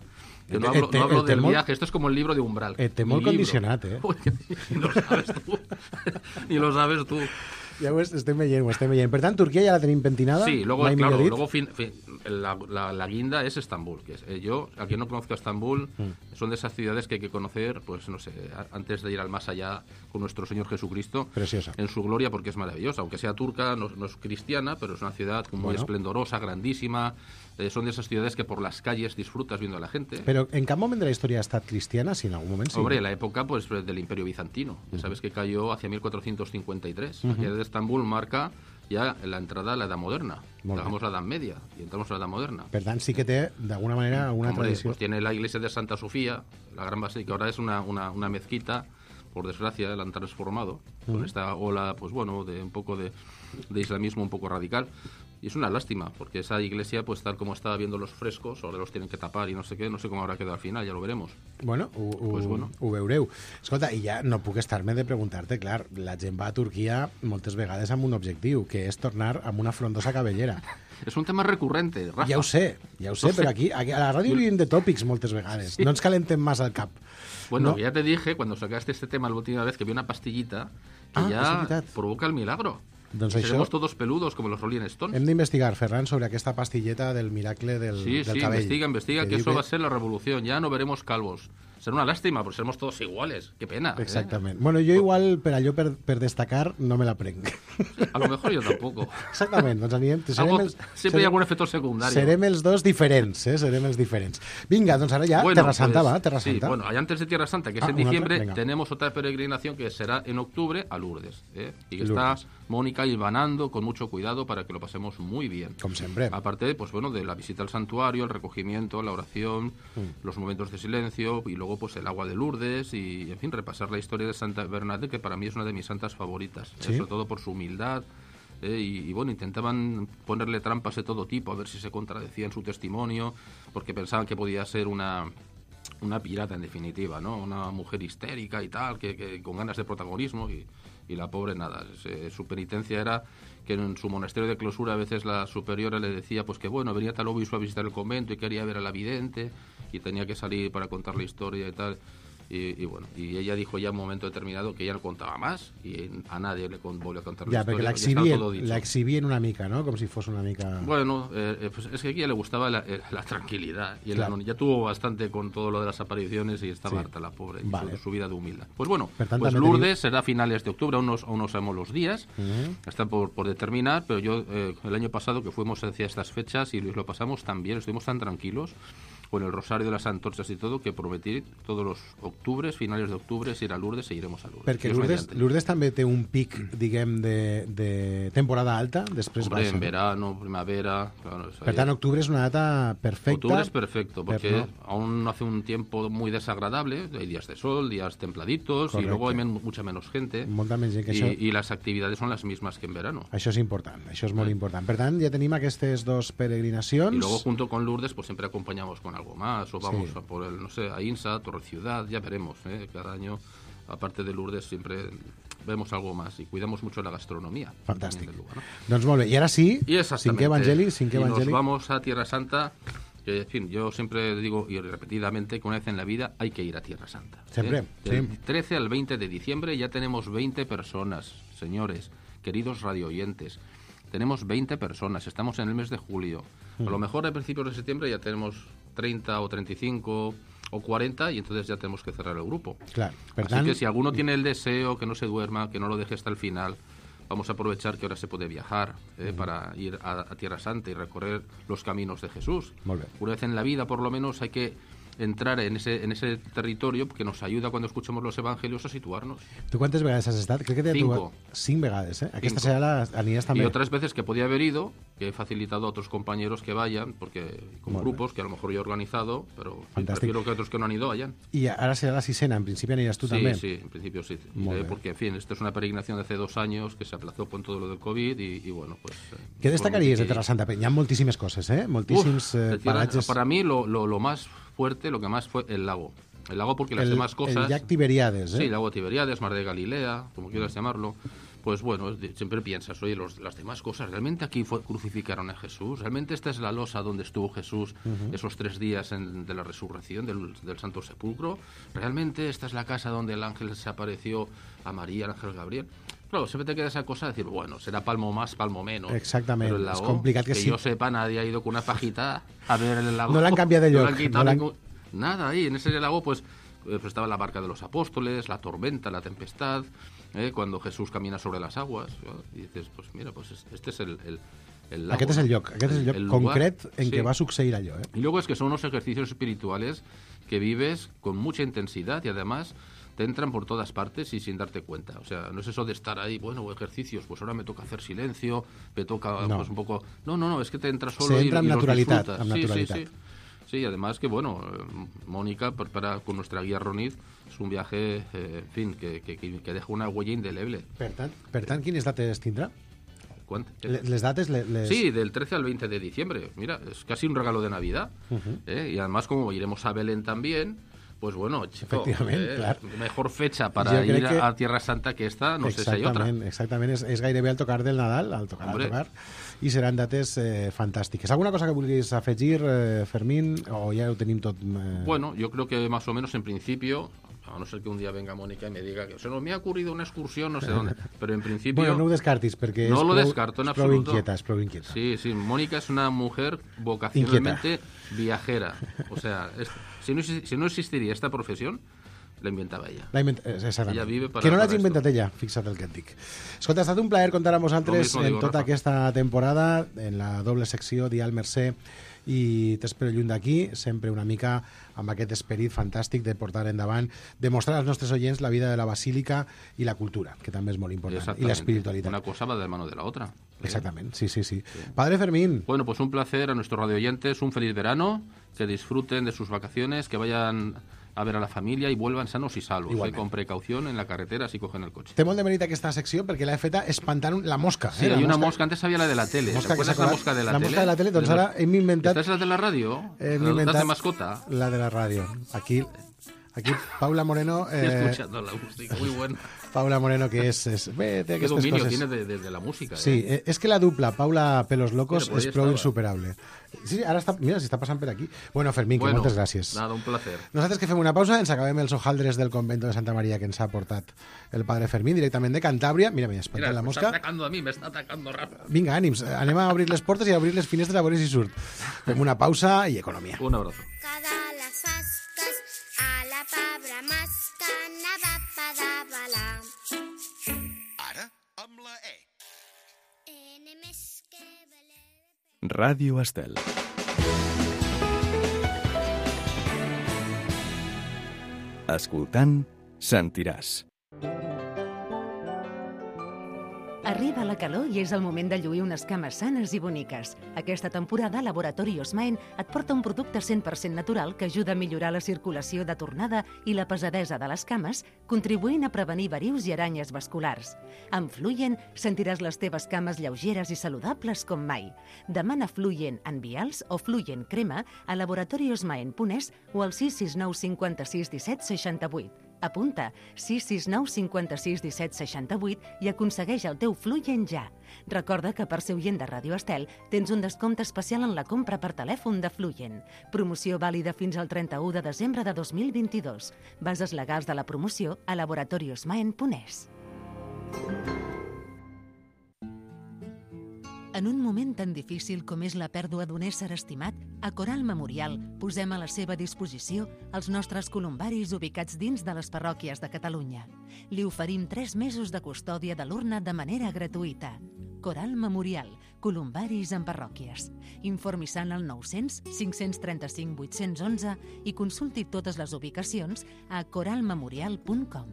Que
Eh,
no hablo,
eh,
no hablo
eh,
del
temor-
viaje, esto es como el libro de Umbral.
Eh, té
Mi
molt
libro.
condicionat, eh?
Uy, ni lo sabes tú. Ni lo sabes tú.
Ja ho estem veient, ho estem veient. Per tant, Turquia ja la tenim pentinada?
Sí, luego,
mai
claro,
millor dit.
luego fin, fin, la, la, la guinda es Estambul. Que es, eh, yo, a quien no conozca Estambul,
Mm.
son de esas ciudades que hay que conocer, pues no sé, a- antes de ir al más allá con nuestro Señor Jesucristo.
Preciosa.
En su gloria, porque es maravillosa. Aunque sea turca, no, no es cristiana, pero es una ciudad muy
Bueno.
esplendorosa, grandísima. Eh, son de esas ciudades que por las calles disfrutas viendo a la gente.
Però en cap moment de la història ha estat cristiana? Si en algun moment sí.
Hombre, la época pues del Imperio Bizantino. Ya sabes que cayó hacia mil cuatrocientos cincuenta y tres. La caída de Estambul marca ya la entrada a la Edad Moderna.
Molt bé.
Dejamos la Edad Media y entramos a la Edad Moderna.
Per tant, sí que té, d'alguna manera, alguna
Hombre,
tradició.
pues tiene la iglesia de Santa Sofía, la gran basílica, ahora es una, una, una mezquita, por desgracia la han transformado, con esta ola, pues bueno, de un poco de, de islamismo un poco radical. Y es una lástima, porque esa iglesia, pues tal como estaba viendo los frescos, ahora los tienen que tapar y no sé qué, no sé cómo habrá quedado al final, ya lo veremos.
Bueno, ho, ho,
Pues bueno.
ho veureu. Escolta, i ja no puc estar-me de preguntar-te, clar, la gent va a Turquia moltes vegades amb un objectiu, que és tornar amb una frondosa cabellera.
Es un tema recurrente, Rafa.
Ja ho sé, ja ho sé,
No sé.
però aquí, aquí a la ràdio vivim de tòpics moltes vegades. No ens calentem massa al cap.
Bueno,
No.
ya te dije cuando sacaste este tema la última vez que vi una pastillita que
Ah, és
ya
veritat.
provoca el milagro.
Doncs
Y
això-
seremos todos peludos como los Rolling Stones.
Hem d'investigar, Ferran, sobre aquesta pastilleta del miracle del,
Sí,
del
sí,
cabell.
investiga, investiga, que
diu
eso va a ser la revolución. Ya no veremos calvos. Será una lástima, porque seremos todos iguales. Qué pena. ¿eh?
Exactament. Bueno, jo igual, per allò, per, per destacar, no me la prenc.
A lo mejor yo tampoco.
Exactament, doncs anirem... Serem
Algo-
els,
siempre hay algún efecto secundario.
Serem els dos diferents, eh? Serem els diferents. Vinga, doncs ara ja,
Bueno,
Terra Santa,
pues,
va, Terra
sí,
Santa.
bueno, y antes de Tierra Santa, que es
Ah,
en
una otra,
diciembre,
venga.
tenemos otra peregrinación que será en octubre a Lourdes. ¿eh? Y que
Lourdes.
está Mónica hilvanando con mucho cuidado para que lo pasemos muy bien.
Com sempre.
Aparte, pues bueno, de la visita al santuario, el recogimiento, la oración,
Mm.
los momentos de silencio y luego pues el agua de Lourdes y, en fin, repasar la historia de Santa Bernadette, que para mí es una de mis santas favoritas, ¿eh?
Sí.
Sobre todo por su humildad. ¿eh? Y, y bueno, intentaban ponerle trampas de todo tipo, a ver si se contradecía en su testimonio, porque pensaban que podía ser una una pirata en definitiva, ¿no? Una mujer histérica y tal, que, que con ganas de protagonismo y, y la pobre nada. Se- su penitencia era que en su monasterio de clausura a veces la superiora le decía pues que bueno, venía tal obispo a visitar el convento y quería ver a la vidente y tenía que salir para contar la historia y tal. Y, y bueno, y ella dijo ya en un momento determinado que ella no contaba más y a nadie le con, volvió a contar
ja,
la
perquè
historia.
l'exhibien una mica, ¿no? Com si fos una mica...
Bueno, eh, pues es que a ella le gustaba la, eh, la tranquilidad y claro. la, ya tuvo bastante con todo lo de las apariciones y estaba sí. harta la pobre, vale. su, su vida de humildad. Pues bueno, tant, pues Lourdes teniu... será a finales de octubre, aún no, aún no sabemos los días, uh-huh. están por, por determinar, pero yo eh, el año pasado que fuimos hacia estas fechas y lo pasamos tan bien, estuvimos tan tranquilos con el rosario de las antorchas y todo, que prometí todos los octubres, finales de octubre, ir a Lourdes e iremos a Lourdes.
Perquè Lourdes, Lourdes també té un pic, diguem, de, de temporada alta, després
Hombre,
baixa.
en verano, primavera... Claro,
per tant, octubre es una data perfecta.
Octubre es perfecto, porque no. aún hace un tiempo muy desagradable, hay días de sol, días templaditos, Correcte. Y luego hay men mucha menos gente,
Molta menys gent que
y,
això...
y las actividades son las mismas que en verano.
Això és important, això és molt sí. important. Per tant, ja tenim aquestes dos peregrinacions.
Y luego, junto con Lourdes, pues siempre acompañamos con algo más, o vamos sí. a por el, no sé, a Insa, Torre Ciudad, ya veremos, ¿eh? Cada año, aparte de Lourdes, siempre vemos algo más y cuidamos mucho la gastronomía.
Fantàstic.
Lugar, ¿no?
Doncs molt bé, i ara sí, cinquè evangeli, cinquè
y
evangeli.
Nos vamos a Tierra Santa, que, en fin, yo siempre digo, y repetidamente, que una vez en la vida hay que ir a Tierra Santa.
Siempre,
¿eh? Del trece al veinte de diciembre ya tenemos veinte personas, señores, queridos radioyentes. Tenemos veinte personas, estamos en el mes de julio. Mm. A lo mejor a principios de septiembre ya tenemos treinta o treinta y cinco o cuarenta y entonces ya tenemos que cerrar el grupo.
Claro.
Así tant... que si alguno tiene el deseo, que no se duerma, que no lo deje hasta el final, vamos a aprovechar que ahora se puede viajar eh, mm. para ir a, a Tierra Santa y recorrer los caminos de Jesús.
Molt bé.
Una vez en la vida, por lo menos, hay que entrar en ese, en ese territorio que nos ayuda cuando escuchemos los evangelios a situarnos.
¿Tú cuántas veces has estado? Creo que te
Cinco.
Tu... Cinc vegades, ¿eh? Aquesta serà la aniràs també.
Y otras veces que podía haber ido, que he facilitado a otros compañeros que vayan, porque como grupos que a lo mejor yo he organizado, pero prefiero que otros que no han ido vayan.
Y ahora será la sisena, en principio aniràs tú
sí,
también.
Sí, sí, en principio sí. Eh, porque, en fin, esto es una peregrinación de hace dos años que se aplazó con todo lo del COVID y, y bueno, pues... Eh,
¿Qué destacarías de Terra Santa? Hi ha moltíssimes coses, ¿eh? Moltíssims
Uf,
eh, paratges...
Para mí lo, lo, lo más fuerte, lo que más fue el lago. El lago porque las
el,
demás cosas...
El llac Tiberiades, ¿eh?
Sí, el lago Tiberiades, Mar de Galilea, como quieras llamarlo. Pues bueno, siempre piensas, oye, los, las demás cosas, ¿realmente aquí fue, crucificaron a Jesús? ¿Realmente esta es la losa donde estuvo Jesús uh-huh. esos tres días en, de la resurrección del, del Santo Sepulcro? ¿Realmente esta es la casa donde el ángel se apareció a María, el ángel Gabriel? Claro, siempre te queda esa cosa de decir, bueno, será palmo más, palmo menos.
Exactament,
Pero el lago,
és complicat que,
que
sí.
yo sepa, nadie ha ido con una pajita a ver el lago.
No l'han canviat de lloc.
No l'han quitado
no
ningún... Nada, ahí en ese lago pues, pues estaba la barca de los apóstoles, la tormenta, la tempestad, ¿eh? Cuando Jesús camina sobre las aguas, ¿no? Y dices, pues mira, pues este es el, el, el lago.
Aquest és el lloc, aquest és el lloc el concret lugar, en sí. què va succeir allò. ¿eh?
Y luego es que son unos ejercicios espirituales que vives con mucha intensidad y además te entran por todas partes y sin darte cuenta. O sea, no es eso de estar ahí, bueno, ejercicios, pues ahora me toca hacer silencio, me toca
no.
pues un poco... No, no, no, es que te entra solo
Se
y,
entra
y
en
los
naturalidad,
disfrutas.
en
Sí,
naturalidad.
sí, sí. Sí, además que, bueno, Mónica, para, con nuestra guía Roniz, es un viaje, eh, en fin, que, que, que deja una huella indeleble.
Per tant, per tant quines dates tindrà?
¿Cuánto?
Les dates... Les, les...
Sí, del trece al veinte de diciembre. Mira, es casi un regalo de Navidad. Uh-huh. ¿eh? Y además, como iremos a Belén también... Pues bueno, chico,
eh, claro.
mejor fecha para ir a, a Tierra Santa que esta, no sé si hay otra.
Exactament, és, és gairebé al tocar del Nadal, al tocar, al tocar, i seran dates eh, fantàstiques. ¿Alguna cosa que vulguis afegir, eh, Fermín, o ja ho tenim tot? Eh...
Bueno, yo creo que más o menos en principio, a no ser que un día venga Mónica y me diga que se nos me ha ocurrido una excursión, no sé dónde, pero en principio...
Bueno, no ho descartis, perquè
no
és
lo
prou,
descarto en
és prou
absoluto.
inquieta, és prou inquieta.
Sí, sí, Mónica es una mujer vocacionalmente viajera. O sea, es, si, no, si no existiría esta profesión, la inventava ella.
La invent... Ella
vive para,
que no l'hagi inventat ella, fixa't el que et dic. Escolta, ha estat un plaer comptar amb vosaltres en
digo,
tota
Rafa.
aquesta temporada, en la doble secció Dial Mercè i T'espero lluny d'aquí, sempre una mica amb aquest esperit fantàstic de portar endavant, de mostrar als nostres oients la vida de la basílica i la cultura, que també és molt important, i l'espiritualitat.
Una cosa va de la mano de la otra.
Exactamente, sí, sí, sí, sí. Padre Fermín.
Bueno, pues un placer a nuestros radioyentes, un feliz verano, que disfruten de sus vacaciones, que vayan a ver a la familia y vuelvan sanos y salvos, eh, con precaución en la carretera si cogen el coche.
Té molt de mèrit aquesta secció perquè l'he feta espantant la mosca.
Sí,
eh,
hay
la
una
mosca.
mosca, antes había la de la tele.
Mosca
¿Te acuerdas la mosca de la,
la
tele?
mosca de la tele, doncs ara hem inventat...
¿Esta es la de la radio?
Hem
¿La
inventat
de mascota?
La de la ràdio. Aquí... Aquí Paula Moreno...
Eh, escuchando la música, muy bueno.
Paula Moreno, que es... es ve,
¿Qué dominio coses. tiene de, de, de la música?
Sí,
eh?
es que la dupla Paula Pelos Locos
Mira,
és prou insuperable. Sí, ara està... Mira, s'està passant per aquí. Bueno, Fermín, que
bueno,
moltes gràcies.
Nada, un placer.
Nosaltres que fem una pausa, ens acabem els hojaldres del convento de Santa Maria que ens ha portat el padre Fermín, directament de Cantàbria. Mira, m'ha espantat la mosca.
M'està atacando a mi, m'està atacando Rafa.
Vinga, ànims, anem a obrir les portes i a obrir les finestres a veure si surt. Fem una pausa i economia.
Un abrazo.
Cada les fasques a la pabra masca anava a pedavalar.
Ara amb la E.
Ene més que valer...
Ràdio Estel. Escoltant, sentiràs.
Arriba la calor i és el moment de lluir unes cames sanes i boniques. Aquesta temporada, Laboratori Osmaen et porta un producte cent per cent natural que ajuda a millorar la circulació de tornada i la pesadesa de les cames, contribuint a prevenir verius i aranyes vasculars. Amb Fluyen sentiràs les teves cames lleugeres i saludables com mai. Demana Fluyen en vials o Fluyen crema a laboratoriosmaen punt es o al sis sis nou cinquanta-sis disset seixanta-vuit. Apunta sis sis nou cinquanta-sis disset seixanta-vuit i aconsegueix el teu Fluyen ja. Recorda que per ser oient de Ràdio Estel tens un descompte especial en la compra per telèfon de Fluyen. Promoció vàlida fins al trenta-u de desembre de dos mil vint-i-dos. Bases legals de la promoció a laboratoriosmaen punt es. En un moment tan difícil com és la pèrdua d'un ésser estimat, a Coral Memorial posem a la seva disposició els nostres columbaris ubicats dins de les parròquies de Catalunya. Li oferim tres mesos de custòdia de l'urna de manera gratuïta. Coral Memorial, columbaris en parròquies. Informi-se al nou-cents cinc-cents trenta-cinc vuit-cents onze i consulti totes les ubicacions a coral memorial punt com.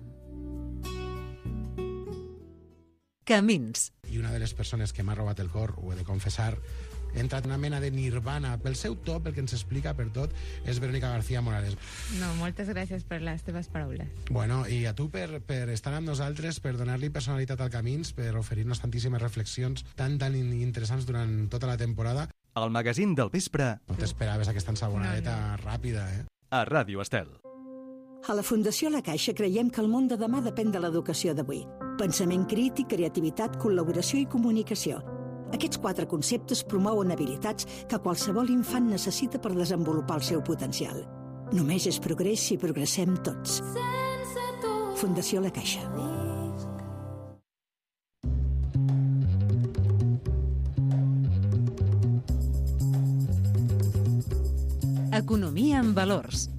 Camins.
I una de les persones que m'ha robat el cor, ho he de confessar, he entrat en una mena de nirvana pel seu to, pel que ens explica per tot, és Verónica García Morales.
No, moltes gràcies per les teves paraules.
Bueno, i a tu per, per estar amb nosaltres, per donar-li personalitat al Camins, per oferir-nos tantíssimes reflexions tan, tan interessants durant tota la temporada.
El magazín del vespre.
No t'esperaves aquesta ensabonadeta no, no. ràpida, eh?
A Ràdio Estel.
A la Fundació La Caixa creiem que el món de demà depèn de l'educació d'avui. Pensament crític, creativitat, col·laboració i comunicació. Aquests quatre conceptes promouen habilitats que qualsevol infant necessita per desenvolupar el seu potencial. Només és progrés si progressem tots. Fundació La Caixa.
Economia en valors.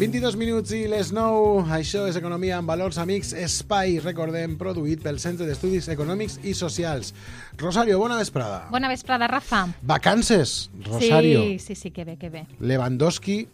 vint-i-dos minuts i les nou. Això és Economia en Valors, amics. Espai, recordem, produït pel Centre d'Estudis Econòmics i Socials. Rosario, bona vesprada.
Bona vesprada, Rafa.
Vacances, Rosario.
Sí, sí, sí, que bé, que bé.
Lewandowski.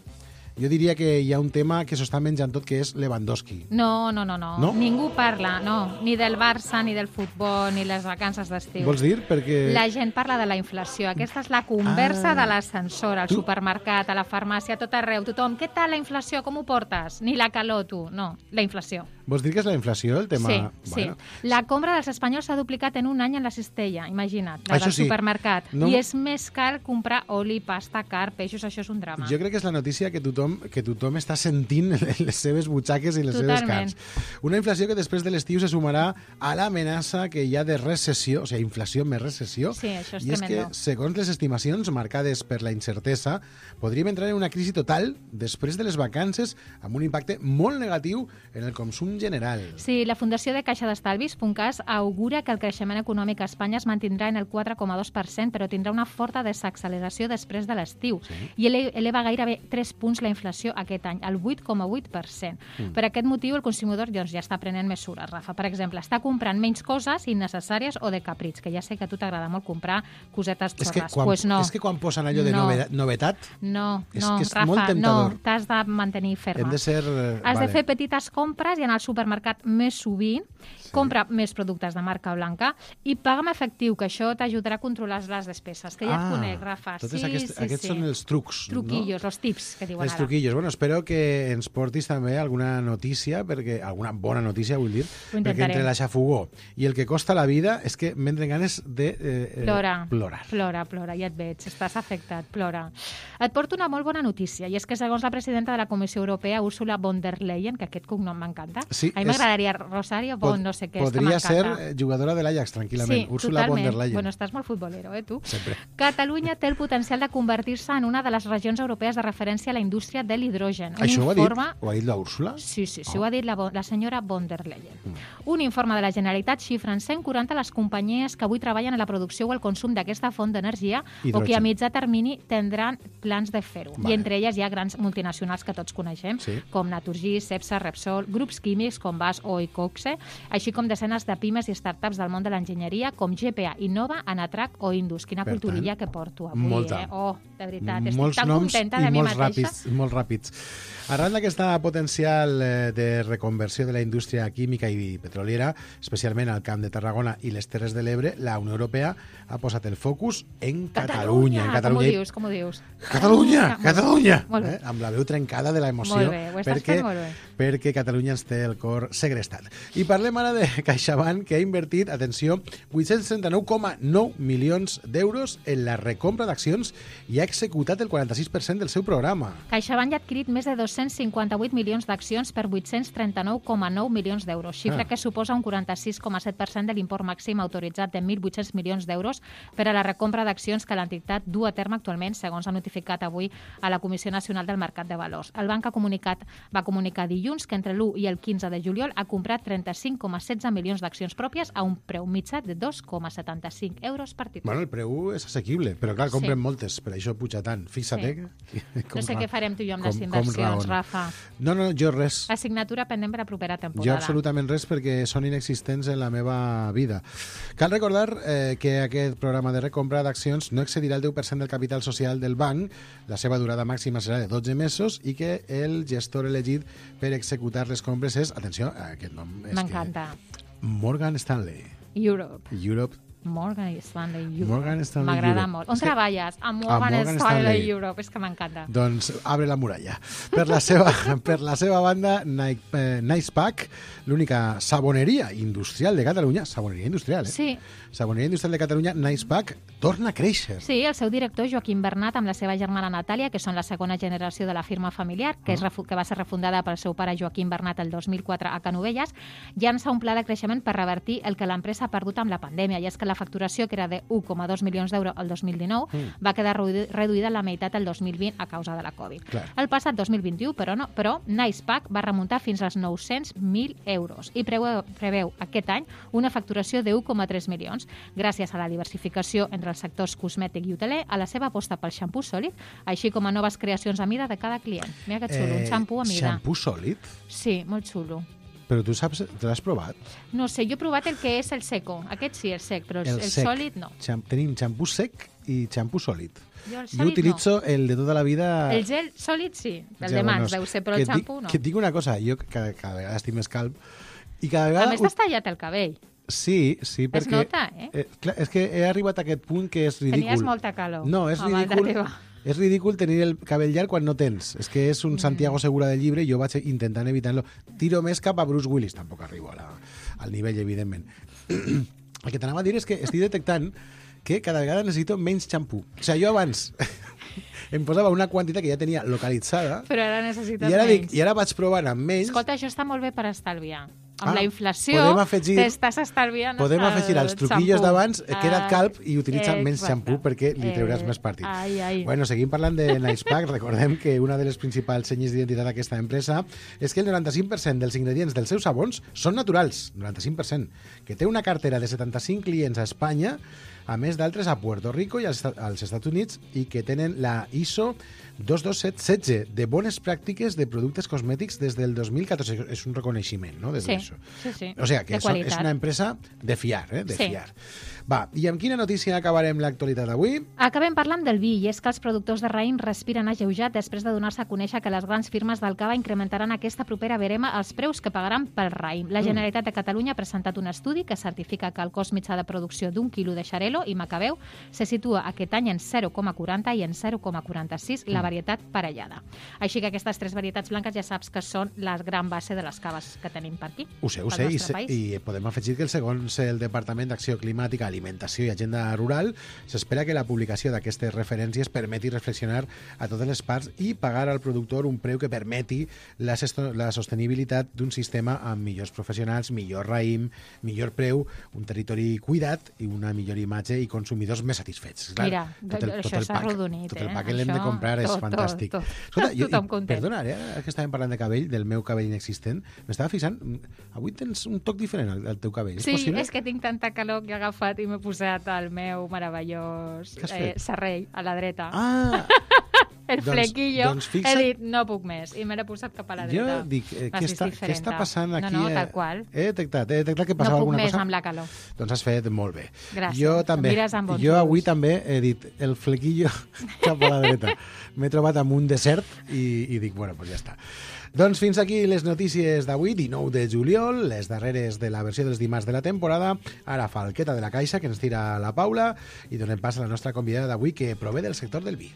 Jo diria que hi ha un tema que s'ho està menjant tot, que és Lewandowski.
No, no, no, no,
no.
Ningú parla, no. Ni del Barça, ni del futbol, ni les vacances d'estiu.
Vols dir? Perquè...
La gent parla de la inflació. Aquesta és la conversa ah. de l'ascensor, al tu... supermercat, a la farmàcia, a tot arreu. Tothom, què tal la inflació? Com ho portes? Ni la calor, tu. No, la inflació.
Vols dir que és la inflació, el tema?
Sí, bueno. sí. La compra dels espanyols s'ha duplicat en un any en la cistella, imagina't, la
això
del
sí.
supermercat.
No...
I és més car comprar oli, pasta, car, peixos, això és un drama.
Jo crec que és la notícia que tothom, que tothom està sentint en les seves butxaques i les
Totalment.
seves cars. Una inflació que després de l'estiu se sumarà a l'amenaça que hi ha de recessió, o sigui, inflació més recessió.
Sí, això és
I és
tremendo.
que, segons les estimacions marcades per la incertesa, podríem entrar en una crisi total després de les vacances amb un impacte molt negatiu en el consum general.
Sí, la Fundació de Caixa d'Estalvis, Funcas, augura que el creixement econòmic a Espanya es mantindrà en el quatre coma dos per cent, però tindrà una forta desacceleració després de l'estiu.
Sí.
I ele eleva gairebé tres punts la inflació aquest any, al vuit coma vuit per cent. Mm. Per aquest motiu, el consumidor doncs, ja està prenent mesures, Rafa. Per exemple, està comprant menys coses innecessàries o de caprits, que ja sé que a tu t'agrada molt comprar cosetes xorres.
És que quan,
pues no.
és que quan posen allò de
no.
novedat, novetat
no,
és
no,
que és
Rafa,
molt temptador.
no, t'has de mantenir ferma.
Hem de ser...
Has
vale.
de fer petites compres i anar al supermercat més sovint, sí. compra més productes de marca blanca i paga amb efectiu, que això t'ajudarà a controlar les despeses. Que ja
ah,
et conec, Rafa.
Totes
sí,
aquests,
sí,
aquests
sí.
són els trucs.
Truquillos,
no?
els tips, que diuen
els
ara.
truquillos. Bueno, espero que ens portis també alguna notícia, perquè alguna bona notícia, vull dir, perquè entre la xafogó i el que costa la vida és que m'entren ganes de eh,
plora,
plorar.
Plora, plora, ja et veig, estàs afectat, plora. Et porto una molt bona notícia, i és que segons la presidenta de la Comissió Europea, Ursula von der Leyen, que aquest cognom m'encanta,
sí,
a mi m'agradaria Rosario von no sé què,
podria ser jugadora de l'Ajax, tranquil·lament.
Sí,
Ursula
totalment.
von der Leyen.
Bueno, estàs molt futbolero, eh, tu?
Sempre.
Catalunya té el potencial de convertir-se en una de les regions europees de referència a la indústria de l'hidrogen. Un
Això
informe...
ho ha dit? Ho ha dit la Úrsula?
Sí, sí, sí, oh. ho ha dit la, la senyora von der Leyen. Mm. Un informe de la Generalitat xifra en cent quaranta les companyies que avui treballen en la producció o el consum d'aquesta font d'energia o que a mitjà termini tindran plans de fer-ho. Vale. I entre elles hi ha grans multinacionals que tots coneixem, sí. com Naturgy, Cepsa, Repsol, grups químics com Bas o Icoxe, així com desenes de pimes i startups del món de l'enginyeria com G P A, Innova, Anatrac o Indus. Quina per culturilla tant, que porto avui,
molta.
eh? Oh, de veritat, estic
molts
tan
noms
contenta de mi
molts
mateixa.
Ràpids, molt ràpids. Arran d'aquesta potencial de reconversió de la indústria química i petroliera, especialment al Camp de Tarragona i les Terres de l'Ebre, la Unió Europea ha posat el focus en Catalunya.
Catalunya!
En Catalunya.
Com ho dius? Com ho dius?
Catalunya!
Ah,
Catalunya!
Molt bé.
Eh? Amb la veu trencada de l'emoció.
Molt bé, ho estàs
perquè,
fent molt bé.
perquè Catalunya ens té el cor segrestat. I parlem ara de CaixaBank, que ha invertit, atenció, vuit-cents trenta-nou coma nou milions d'euros en la recompra d'accions i ha executat el quaranta-sis per cent del seu programa.
CaixaBank ha adquirit més de dos-cents cinquanta-vuit milions d'accions per vuit-cents trenta-nou coma nou milions d'euros, xifra ah. que suposa un quaranta-sis coma set per cent de l'import màxim autoritzat de mil vuit-cents milions d'euros per a la recompra d'accions que l'entitat du a terme actualment, segons ha notificat avui a la Comissió Nacional del Mercat de Valors. El banc ha comunicat, va comunicar dilluns que entre l'u i el quinze de juliol ha comprat trenta-cinc coma setze milions d'accions pròpies a un preu mitjà de dos coma setanta-cinc euros per títol.
Bueno, el preu és assequible, però clar, compren
sí.
moltes, per això puja tant. Fixa't,
sí.
eh?
No sé què farem tu i jo amb
com,
les inversions, Rafa.
No, no, jo res.
Assignatura pendent per la propera temporada.
Jo absolutament res, perquè són inexistents en la meva vida. Cal recordar eh, que aquest programa de recompra d'accions no excedirà el deu per cent del capital social del banc, la seva durada màxima serà de dotze mesos i que el gestor elegit per executar les compres és, atenció, aquest nom és
m'encanta.
Morgan Stanley.
Europe.
Europe.
Morgan Stanley Europe.
Morgan Stanley
M'agrada
Europe.
molt. On
és
treballes? A Morgan,
a Morgan
Stanley,
Stanley
Europe. És que m'encanta.
Doncs abre la muralla. Per la seva, per la seva banda, eh, Nicepack, l'única saboneria industrial de Catalunya, saboneria industrial, eh?
Sí.
Saboneria industrial de Catalunya, Nicepack, torna a créixer.
Sí, el seu director, Joaquim Bernat, amb la seva germana Natàlia, que són la segona generació de la firma familiar, que, és, que va ser refundada pel seu pare Joaquim Bernat el dos mil quatre a Canovelles, llança un pla de creixement per revertir el que l'empresa ha perdut amb la pandèmia, i és que la facturació, que era de un coma dos milions d'euros el dos mil dinou, mm. va quedar reduïda a la meitat el dos mil vint a causa de la Covid. Clar. El passat dos mil vint-i-u, però, no, però Nicepack va remuntar fins als nou-cents mil euros i preveu, preveu aquest any una facturació de un coma tres milions, gràcies a la diversificació entre els sectors cosmètic i hoteler, a la seva aposta pel xampú sòlid, així com a noves creacions a mida de cada client. Mira que xulo, eh, un xampú a mida.
Xampú sòlid?
Sí, molt xulo.
Però tu saps, te l'has provat?
No sé, jo he provat el que és el seco. Aquest sí, el sec, però el, el, el
sec.
sòlid no.
Xam, tenim xampú sec i xampú sòlid.
Jo, el
jo utilitzo
no.
el de tota la vida...
El gel sòlid sí, el
ja,
de mans,
bueno,
deu ser, però el xampú no.
Que et dic una cosa, jo cada, cada vegada estic més calb i cada vegada...
A més, t'has tallat el cabell.
Sí, sí, perquè...
Es nota, eh?
eh clar, és que he arribat a aquest punt que és ridícul.
Tenies molta calor.
No, és ridícul. És ridícul tenir el cabell llarg quan no tens. És que és un mm. Santiago Segura del llibre i jo vaig intentant evitar-lo. Tiro més cap a Bruce Willis, tampoc arribo a la, al nivell, evidentment. El que t'anava a dir és que estic detectant que cada vegada necessito menys xampú. O sigui, jo abans em posava una quantitat que ja tenia localitzada
però ara necessites
i ara
menys.
Dic, I ara vaig provant amb menys.
Escolta, això està molt bé per estalviar. Amb
ah,
la inflació
afegir,
t'estàs estalviant
podem
el
afegir els truquillos d'abans, queda't calb i utilitza
eh,
menys xampú perquè li treuràs eh, més partit.
Ai, ai.
Bueno, seguim parlant de Nicepack. Recordem que una de les principals senyes d'identitat d'aquesta empresa és que el noranta-cinc per cent dels ingredients dels seus sabons són naturals, noranta-cinc per cent, que té una cartera de setanta-cinc clients a Espanya, a més d'altres a Puerto Rico i als, als Estats Units, i que tenen la I S O dos dos set setze de bones pràctiques de productes cosmètics des del dos mil catorze. És un reconeixement, no? Des
sí,
d'això.
sí, sí.
O sigui, que és, és una empresa de fiar, eh? De sí. fiar. Va, i amb quina notícia acabarem l'actualitat d'avui?
Acabem parlant del vi, i és que els productors de raïm respiren ageujat després de donar-se a conèixer que les grans firmes del cava incrementaran aquesta propera verema els preus que pagaran pel raïm. La Generalitat de Catalunya ha presentat un estudi que certifica que el cost mitjà de producció d'un quilo de xarel·lo Modelo i Macabeu se situa aquest any en zero coma quaranta i en zero coma quaranta-sis la varietat parellada. Així que aquestes tres varietats blanques ja saps que són la gran base de les caves que tenim per aquí.
Ho sé, ho sé, i, se, i podem afegir que el segons el Departament d'Acció Climàtica, Alimentació i Agenda Rural s'espera que la publicació d'aquestes referències permeti reflexionar a totes les parts i pagar al productor un preu que permeti la, la sostenibilitat d'un sistema amb millors professionals, millor raïm, millor preu, un territori cuidat i una millor imatge i consumidors més satisfets. Clar,
Mira,
tot el,
això
tot el
s'ha
pack,
rodonit.
Tot el pack
eh?
que l'hem de comprar
tot,
és fantàstic.
Tot, tot.
Escolta, jo,
Tothom content.
Perdona, ara que estàvem parlant de cabell, del meu cabell inexistent, m'estava fixant, avui tens un toc diferent al, al teu cabell.
Sí,
és possible?
és que tinc tanta calor que he agafat i m'he posat el meu meravellós eh, serrell a la dreta.
Ah!
El
doncs,
flequillo.
Doncs fixa't...
He dit, no puc més. I m'he posat cap a la dreta.
Jo dic, eh, què, està, què està passant aquí?
No, no, tal qual.
He detectat, he detectat que passava
no
alguna cosa.
No puc més amb la calor.
Doncs has fet molt bé.
Gràcies.
Jo també.
Bon
jo avui també he dit el flequillo cap a la dreta. M'he trobat amb un desert i, i dic, bueno, doncs ja està. Doncs fins aquí les notícies d'avui, dinou de juliol, les darreres de la versió dels dimarts de la temporada. Ara falqueta de la caixa, que ens tira la Paula, i donem pas a la nostra convidada d'avui, que prové del sector del vi.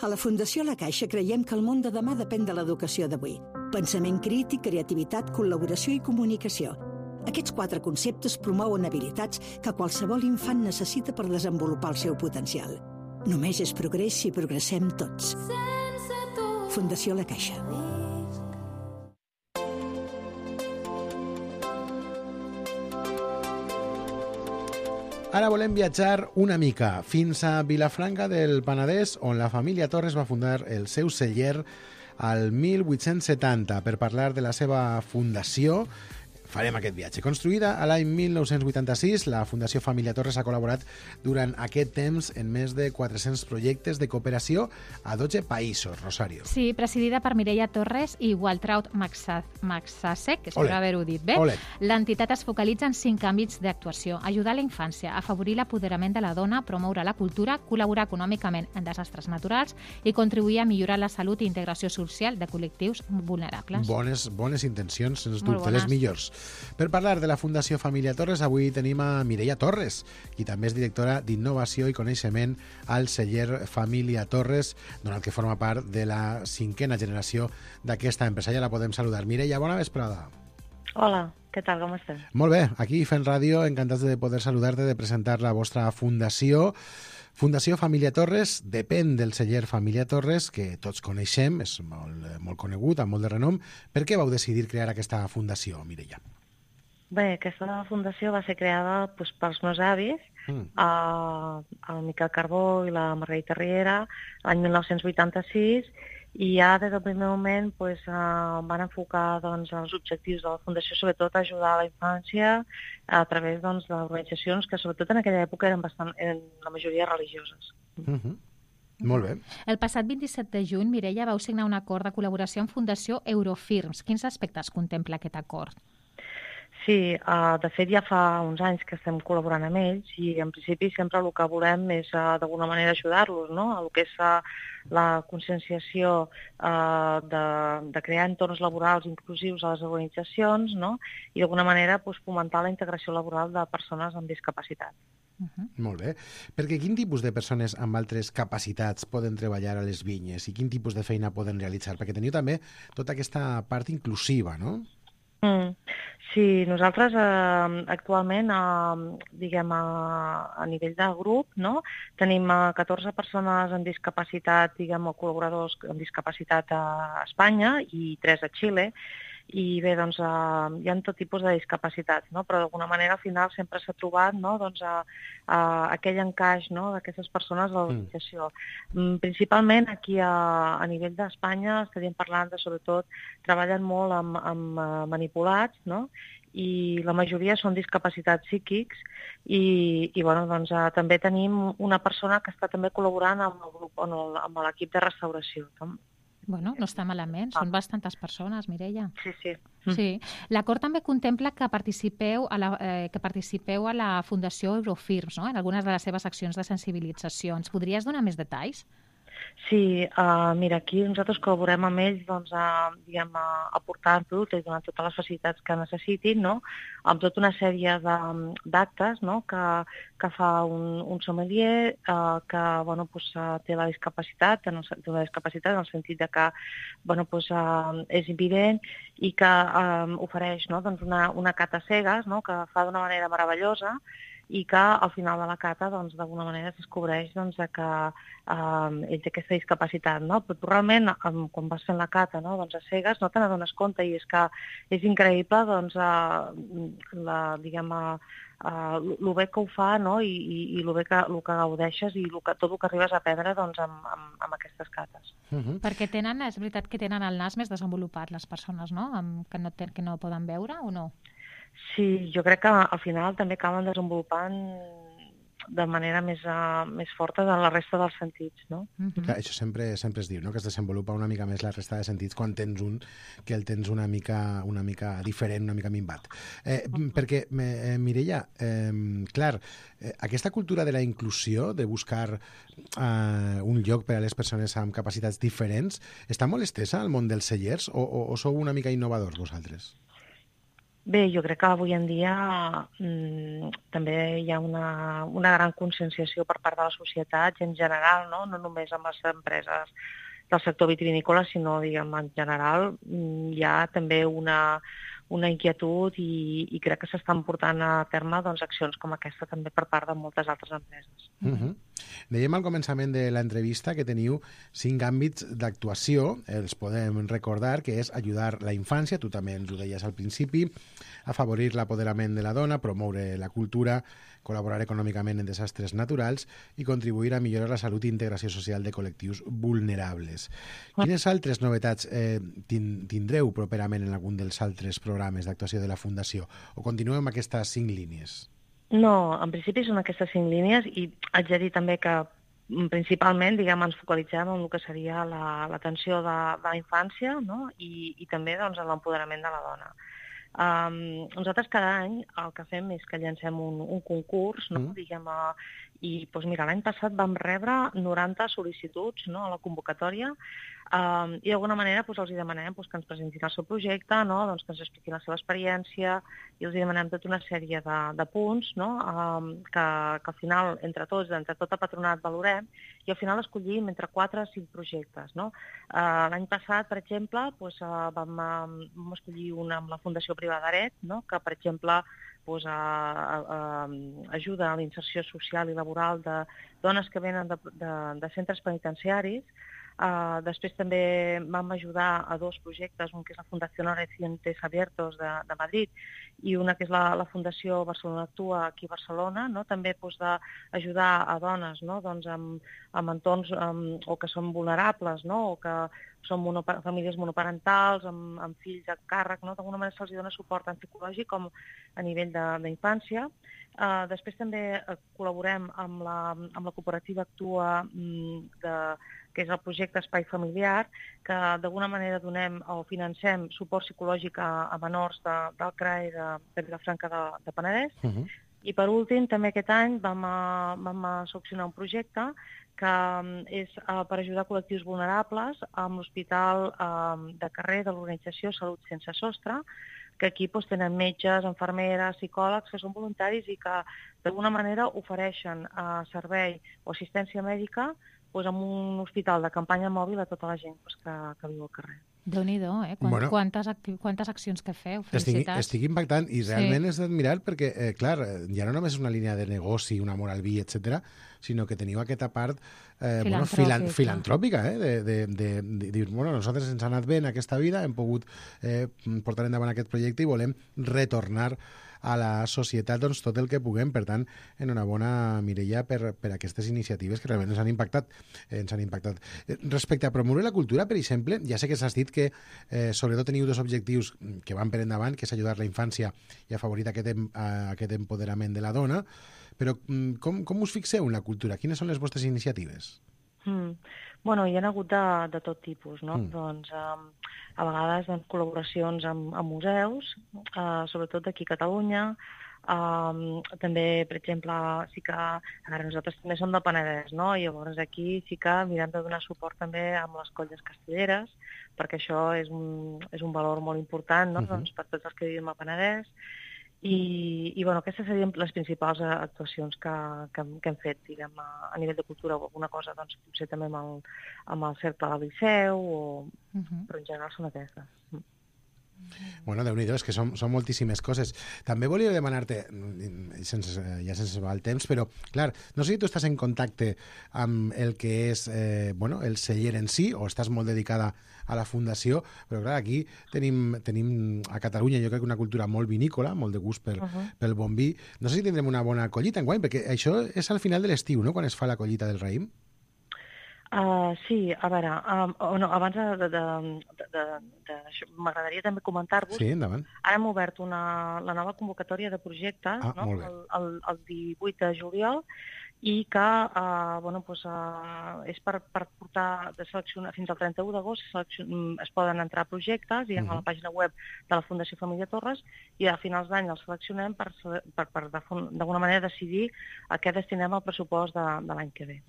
A la Fundació La Caixa creiem que el món de demà depèn de l'educació d'avui. Pensament crític, creativitat, col·laboració i comunicació. Aquests quatre conceptes promouen habilitats que qualsevol infant necessita per desenvolupar el seu potencial. Només és progrés si progressem tots. Fundació La Caixa.
Ara volem viatjar una mica fins a Vilafranca del Penedès, on la família Torres va fundar el seu celler al mil vuit-cents setanta per parlar de la seva fundació. Farem aquest viatge. Construïda a l'any mil nou-cents vuitanta-sis, la Fundació Família Torres ha col·laborat durant aquest temps en més de quatre-cents projectes de cooperació a dotze països, Rosario.
Sí, presidida per Mireia Torres i Waltraud Maxasek, espero haver-ho dit bé. L'entitat es focalitza en cinc àmbits d'actuació: ajudar la infància, afavorir l'apoderament de la dona, promoure la cultura, col·laborar econòmicament en desastres naturals i contribuir a millorar la salut i integració social de col·lectius vulnerables.
Bones, bones intencions, sens dubte, les millors. Per parlar de la Fundació Família Torres, avui tenim a Mireia Torres, qui també és directora d'Innovació i Coneixement al celler Família Torres, donat que forma part de la cinquena generació d'aquesta empresa. Ja la podem saludar. Mireia, bona vesprada.
Hola, què tal, com estàs?
Molt bé, aquí fent ràdio, encantats de poder saludar-te, de presentar la vostra fundació. Fundació Família Torres depèn del celler Família Torres, que tots coneixem, és molt, molt conegut, amb molt de renom. Per què vau decidir crear aquesta fundació, Mireia?
Bé, aquesta fundació va ser creada doncs, pels meus avis, mm. eh, el Miquel Carbó i la Margarita Riera, l'any mil nou-cents vuitanta-sis, i ja des del primer moment doncs, eh, van enfocar doncs, els objectius de la fundació, sobretot a ajudar a la infància a través doncs, d'organitzacions que sobretot en aquella època eren, bastant, eren la majoria religioses.
Mm-hmm. Molt bé.
El passat vint-i-set de juny, Mireia, vau signar un acord de col·laboració amb Fundació Eurofirms. Quins aspectes contempla aquest acord?
Sí, uh, de fet ja fa uns anys que estem col·laborant amb ells i en principi sempre el que volem és uh, d'alguna manera ajudar-los, no? El que és uh, la conscienciació uh, de, de crear entorns laborals inclusius a les organitzacions, no? I d'alguna manera pues, fomentar la integració laboral de persones amb discapacitat.
Uh-huh. Molt bé. Perquè quin tipus de persones amb altres capacitats poden treballar a les vinyes i quin tipus de feina poden realitzar? Perquè teniu també tota aquesta part inclusiva, no?
Mm. Sí, nosaltres eh, actualment, eh, diguem, a, a nivell de grup, no? Tenim eh, catorze persones amb discapacitat, diguem, o col·laboradors amb discapacitat a Espanya i tres a Xile. I bé, doncs, eh, hi ha tot tipus de discapacitats, no? Però d'alguna manera al final sempre s'ha trobat, no? Doncs, a, a aquell encaix, no? D'aquestes persones a l'organització. Mm. Principalment aquí a, a nivell d'Espanya estaríem parlant de, sobretot, treballen molt amb, amb uh, manipulats, no? I la majoria són discapacitats psíquics i, i bueno, doncs, uh, també tenim una persona que està també col·laborant amb el grup, amb l'equip de restauració.
Bueno, no està malament, són bastantes persones, Mireia.
Sí, sí.
Sí. L'acord també contempla que participeu a la, eh, que participeu a la Fundació Eurofirms, no? En algunes de les seves accions de sensibilització. Ens podries donar més detalls?
Sí, uh, mira, aquí nosaltres col·laborem amb ells doncs, a, diguem, a aportar productes i donar totes les facilitats que necessitin, no? Amb tota una sèrie de- d'actes, no? que, que fa un, un sommelier uh, que bueno, pues, uh, té la discapacitat, en el, té una discapacitat en el sentit de que bueno, pues, uh, és invident i que uh, ofereix no? doncs una, una cata cegues, no? que fa d'una manera meravellosa i que al final de la cata doncs, d'alguna manera es descobreix doncs, que eh, ell té aquesta discapacitat. No? Però tu realment, um, quan vas fent la cata no? doncs, a cegues, no te n'adones compte i és que és increïble doncs, eh, la, diguem, eh, el bé que ho fa no? i, i, i el bé que, el que gaudeixes i el que, tot el que arribes a aprendre doncs, amb, amb, amb aquestes cates.
Uh-huh. Perquè tenen, és veritat que tenen el nas més desenvolupat les persones, no? Amb, que, no ten, que no poden veure o no?
Sí, jo crec que al final també acaben desenvolupant de manera més, uh, més forta de la resta dels sentits, no?
Mm-hmm. Clar, això sempre, sempre es diu, no? Que es desenvolupa una mica més la resta de sentits quan tens un que el tens una mica, una mica diferent, una mica minvat. Eh, uh-huh. Perquè, eh, Mireia, eh, clar, eh, aquesta cultura de la inclusió, de buscar eh, un lloc per a les persones amb capacitats diferents, està molt estesa al món dels cellers o, o, o sou una mica innovadors vosaltres?
Bé, jo crec que avui en dia mmm, també hi ha una, una gran conscienciació per part de la societat i en general, no, no només amb les empreses del sector vitivinícola, sinó diguem, en general mmm, hi ha també una, una inquietud i, i crec que s'estan portant a terme doncs, accions com aquesta també per part de moltes altres empreses.
Uh-huh. Dèiem al començament de l'entrevista que teniu cinc àmbits d'actuació, els podem recordar, que és ajudar la infància, tu també ens ho deies al principi, afavorir l'apoderament de la dona, promoure la cultura, col·laborar econòmicament en desastres naturals i contribuir a millorar la salut i integració social de col·lectius vulnerables. Quines altres novetats eh, tindreu properament en algun dels altres programes d'actuació de la Fundació? O continuem amb aquestes cinc línies?
No, en principi són aquestes cinc línies i haig de dir també que principalment diguem, ens focalitzem en el que seria l'atenció la, de, de la infància no? I, i també doncs, en l'empoderament de la dona. Um, nosaltres cada any el que fem és que llancem un, un concurs, no? mm. diguem, uh, i doncs, mira, l'any passat vam rebre noranta sol·licituds no? a la convocatòria um, i d'alguna manera doncs, els demanem doncs, que ens presentin el seu projecte, no? doncs, que ens expliquin la seva experiència i els demanem tota una sèrie de, de punts no? um, que, que al final entre tots, entre tot el patronat valorem i al final escollim entre quatre o cinc projectes. No? Uh, l'any passat, per exemple, doncs, uh, vam, uh, vam escollir una amb la Fundació Privada Aret, no? que per exemple pues, a, a, a, ajuda a la inserció social i laboral de dones que venen de, de, de centres penitenciaris. Uh, després també vam ajudar a dos projectes, un que és la Fundació Recientes Abiertos de, de Madrid i una que és la, la Fundació Barcelona Actua aquí a Barcelona, no? també pues, d'ajudar a dones no? doncs, amb, amb entorns um, o que són vulnerables no? o que són monopa famílies monoparentals, amb, amb fills a càrrec, no? d'alguna manera se'ls dona suport tant psicològic com a nivell d'infància. Uh, després també uh, col·laborem amb la, amb la cooperativa Actua, mm, de, que és el projecte Espai Familiar, que d'alguna manera donem o financem suport psicològic a, a menors de, del C R A E de, de Vilafranca de, de Penedès. Uh-huh. I per últim, també aquest any vam, a, vam a seleccionar un projecte que és uh, per ajudar col·lectius vulnerables amb l'Hospital uh, de Carrer de l'organització Salut Sense Sostre, que aquí doncs, tenen metges, infermeres, psicòlegs, que són voluntaris i que d'alguna manera ofereixen uh, servei o assistència mèdica doncs, amb un hospital de campanya mòbil a tota la gent doncs, que, que viu al carrer.
Déu-n'hi-do, eh? Quant, bueno, quantes, quantes accions que feu, felicitats.
Estic, estic impactant i realment sí. És d'admirar perquè, eh, clar, ja no només és una línia de negoci, un amor al vi, etcètera, sinó que teniu aquesta part eh, bueno, filan, filantròpica, eh, de, de, de, de dir, bueno, nosaltres ens ha anat bé en aquesta vida, hem pogut eh, portar endavant aquest projecte i volem retornar a la societat doncs, tot el que puguem. Per tant, enhorabona, Mireia, per, per aquestes iniciatives que realment ens han impactat. Eh, ens han impactat. Eh, respecte a promoure la cultura, per exemple, ja sé que s'has dit que eh, sobretot teniu dos objectius que van per endavant, que és ajudar la infància i afavorir aquest, em, aquest empoderament de la dona, però com, com us fixeu en la cultura? Quines són les vostres iniciatives?
Mm. Bueno, hi ha hagut de, de tot tipus, no? Mm. Doncs, um, a vegades doncs, col·laboracions amb, amb museus, uh, sobretot d'aquí a Catalunya, Um, també, per exemple, sí que a veure, nosaltres també som del Penedès, no? I llavors aquí sí que mirem de donar suport també amb les colles castelleres, perquè això és un, és un valor molt important, no? Uh-huh. Doncs, per tots els que vivim al Penedès. I, i bueno, aquestes serien les principals actuacions que, que, que hem fet, diguem, a, a nivell de cultura o alguna cosa, doncs potser també amb el, amb el cercle del Liceu, o, uh-huh. però en general són aquestes.
Bueno, Déu-n'hi-do, és que són, són moltíssimes coses. També volia demanar-te, sense, ja sense va el temps, però, clar, no sé si tu estàs en contacte amb el que és eh, bueno, el celler en si, o estàs molt dedicada a la fundació, però clar, aquí tenim, tenim a Catalunya, jo crec que una cultura molt vinícola, molt de gust per, uh-huh. pel bon vi. No sé si tindrem una bona collita enguany, perquè això és al final de l'estiu, no?, quan es fa la collita del raïm.
Uh, sí, a veure, um, oh, no, abans de, de, de, de, de, de això, m'agradaria també comentar-vos.
Sí, endavant.
Ara hem obert una, la nova convocatòria de projectes,
ah,
no? el, el, el divuit de juliol, i que uh, bueno, pues, uh, és per, per portar de seleccionar fins al trenta-u d'agost es poden entrar projectes i uh-huh. a la pàgina web de la Fundació Família Torres, i a finals d'any els seleccionem per, per, per d'alguna manera decidir a què destinem el pressupost de, de l'any que ve.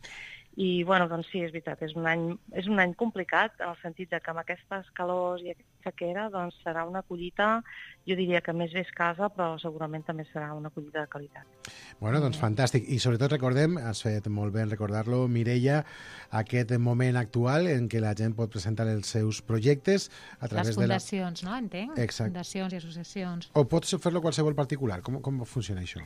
I, bueno, doncs sí, és veritat, és un any, és un any complicat, en el sentit de que amb aquestes calors i aquesta sequera doncs serà una collita, jo diria que més bé escassa, però segurament també serà una collita de qualitat.
Bueno, doncs fantàstic. I sobretot recordem, has fet molt bé en recordar-lo, Mireia, aquest moment actual en què la gent pot presentar els seus projectes a través de...
Les fundacions,
de la...
no? Entenc?
Exacte.
Fundacions i associacions.
O pots fer-lo qualsevol particular? Com, com funciona això?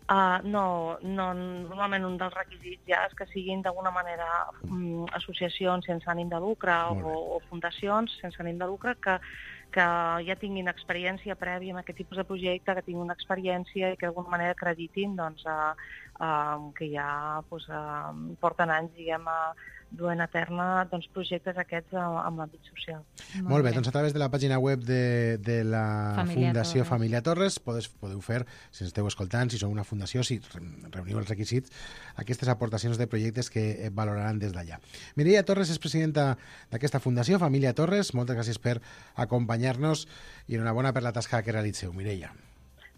Uh, no, no, normalment un dels requisits ja és que siguin d'alguna manera um, associacions sense ànim de lucre o, o fundacions sense ànim de lucre que, que ja tinguin experiència prèvia en aquest tipus de projecte, que tinguin una experiència i que d'alguna manera acreditin doncs, uh, uh, que ja pues, uh, porten anys, diguem, a duent a terme doncs, projectes aquests amb l'àmbit social.
Molt, Molt bé, bé, doncs a través de la pàgina web de, de la
Família
Fundació
Torres.
Família Torres podeu, podeu fer, si esteu escoltant, si sou una fundació, si reuniu els requisits, aquestes aportacions de projectes que valoraran des d'allà. Mireia Torres és presidenta d'aquesta Fundació Família Torres. Moltes gràcies per acompanyar-nos i enhorabona per la tasca que realitzeu, Mireia.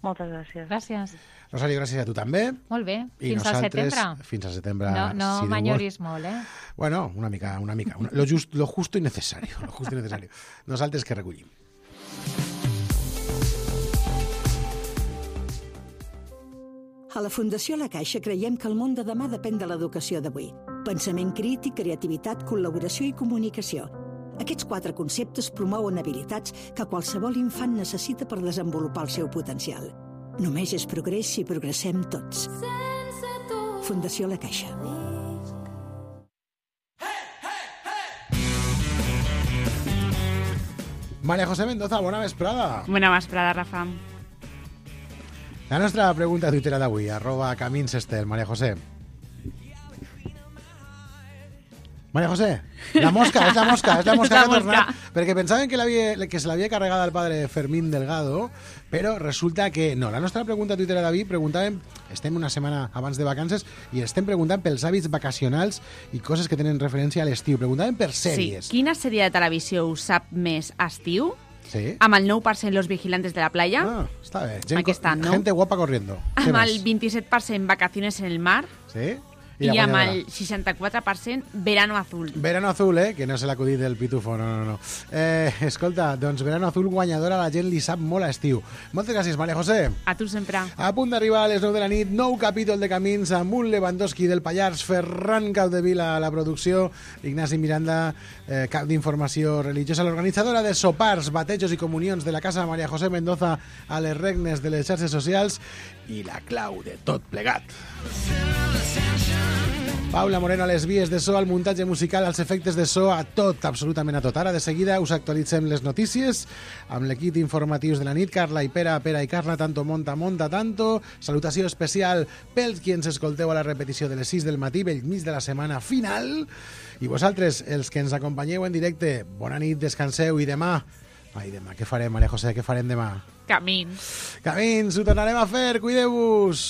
Moltes gràcies.
Gràcies.
Rosario, gràcies a tu també.
Molt bé.
I
fins al setembre.
Fins al setembre.
No, no
si
m'enyoris molt, eh?
Bueno, una mica, una mica. Una, lo, just, lo justo y necesario. Lo justo y necesario. Nosaltres que recollim.
A la Fundació La Caixa creiem que el món de demà depèn de l'educació d'avui. Pensament crític, creativitat, col·laboració i comunicació. Aquests quatre conceptes promouen habilitats que qualsevol infant necessita per desenvolupar el seu potencial. Només és progrés si progressem tots. Fundació La Caixa.
María José Mendoza, bona vesprada.
Bona vesprada, Rafa.
La nostra pregunta a Twitter d'avui, arroba Camins Estel. María José. María José, la mosca, és la mosca, és la mosca
la
que ha
mosca.
tornat, perquè pensaven que, que se l'havia carregat el padre Fermín Delgado, però resulta que no. La nostra pregunta a Twitter d'avui, preguntàvem, estem una setmana abans de vacances i estem preguntant pels hàbits vacacionals i coses que tenen referència a l'estiu. Preguntàvem per sèries.
Sí. Quina sèrie de televisió us sap més estiu?
Sí.
Amb el nou per cent Los Vigilantes de la Playa.
Ah, està bé. Gent,
Aquesta, no?
Gente guapa corriendo.
Amb el vint-i-set per cent Vacaciones en el mar.
Sí.
I, I amb el seixanta-quatre per cent Verano Azul.
Verano Azul, eh? Que no és l'acudit del Pitufo, no, no, no. Eh, escolta, doncs Verano Azul guanyadora, la gent li sap molt a estiu. Moltes gràcies, María José.
A tu sempre.
A punt d'arribar a les nou de la nit, nou capítol de Camins amb un Lewandowski del Pallars, Ferran Caudevila a la producció, Ignasi Miranda, eh, cap d'informació religiosa, l'organitzadora de sopars, batejos i comunions de la Casa María José Mendoza a les regnes de les xarxes socials i la clau de tot plegat. Paula Moreno a les vies de so, al muntatge musical, als efectes de so, a tot, absolutament a tot. Ara, de seguida, us actualitzem les notícies amb l'equip informatius de la nit. Carla i Pera, Pera i Carla, tanto monta, monta, tanto. Salutació especial pels qui ens escolteu a la repetició de les sis del matí, bell mig de la setmana final. I vosaltres, els que ens acompanyeu en directe, bona nit, descanseu i demà... Ai, demà, què farem, María José? Què farem demà?
Camins.
Camins, ho tornarem a fer, cuideu-vos!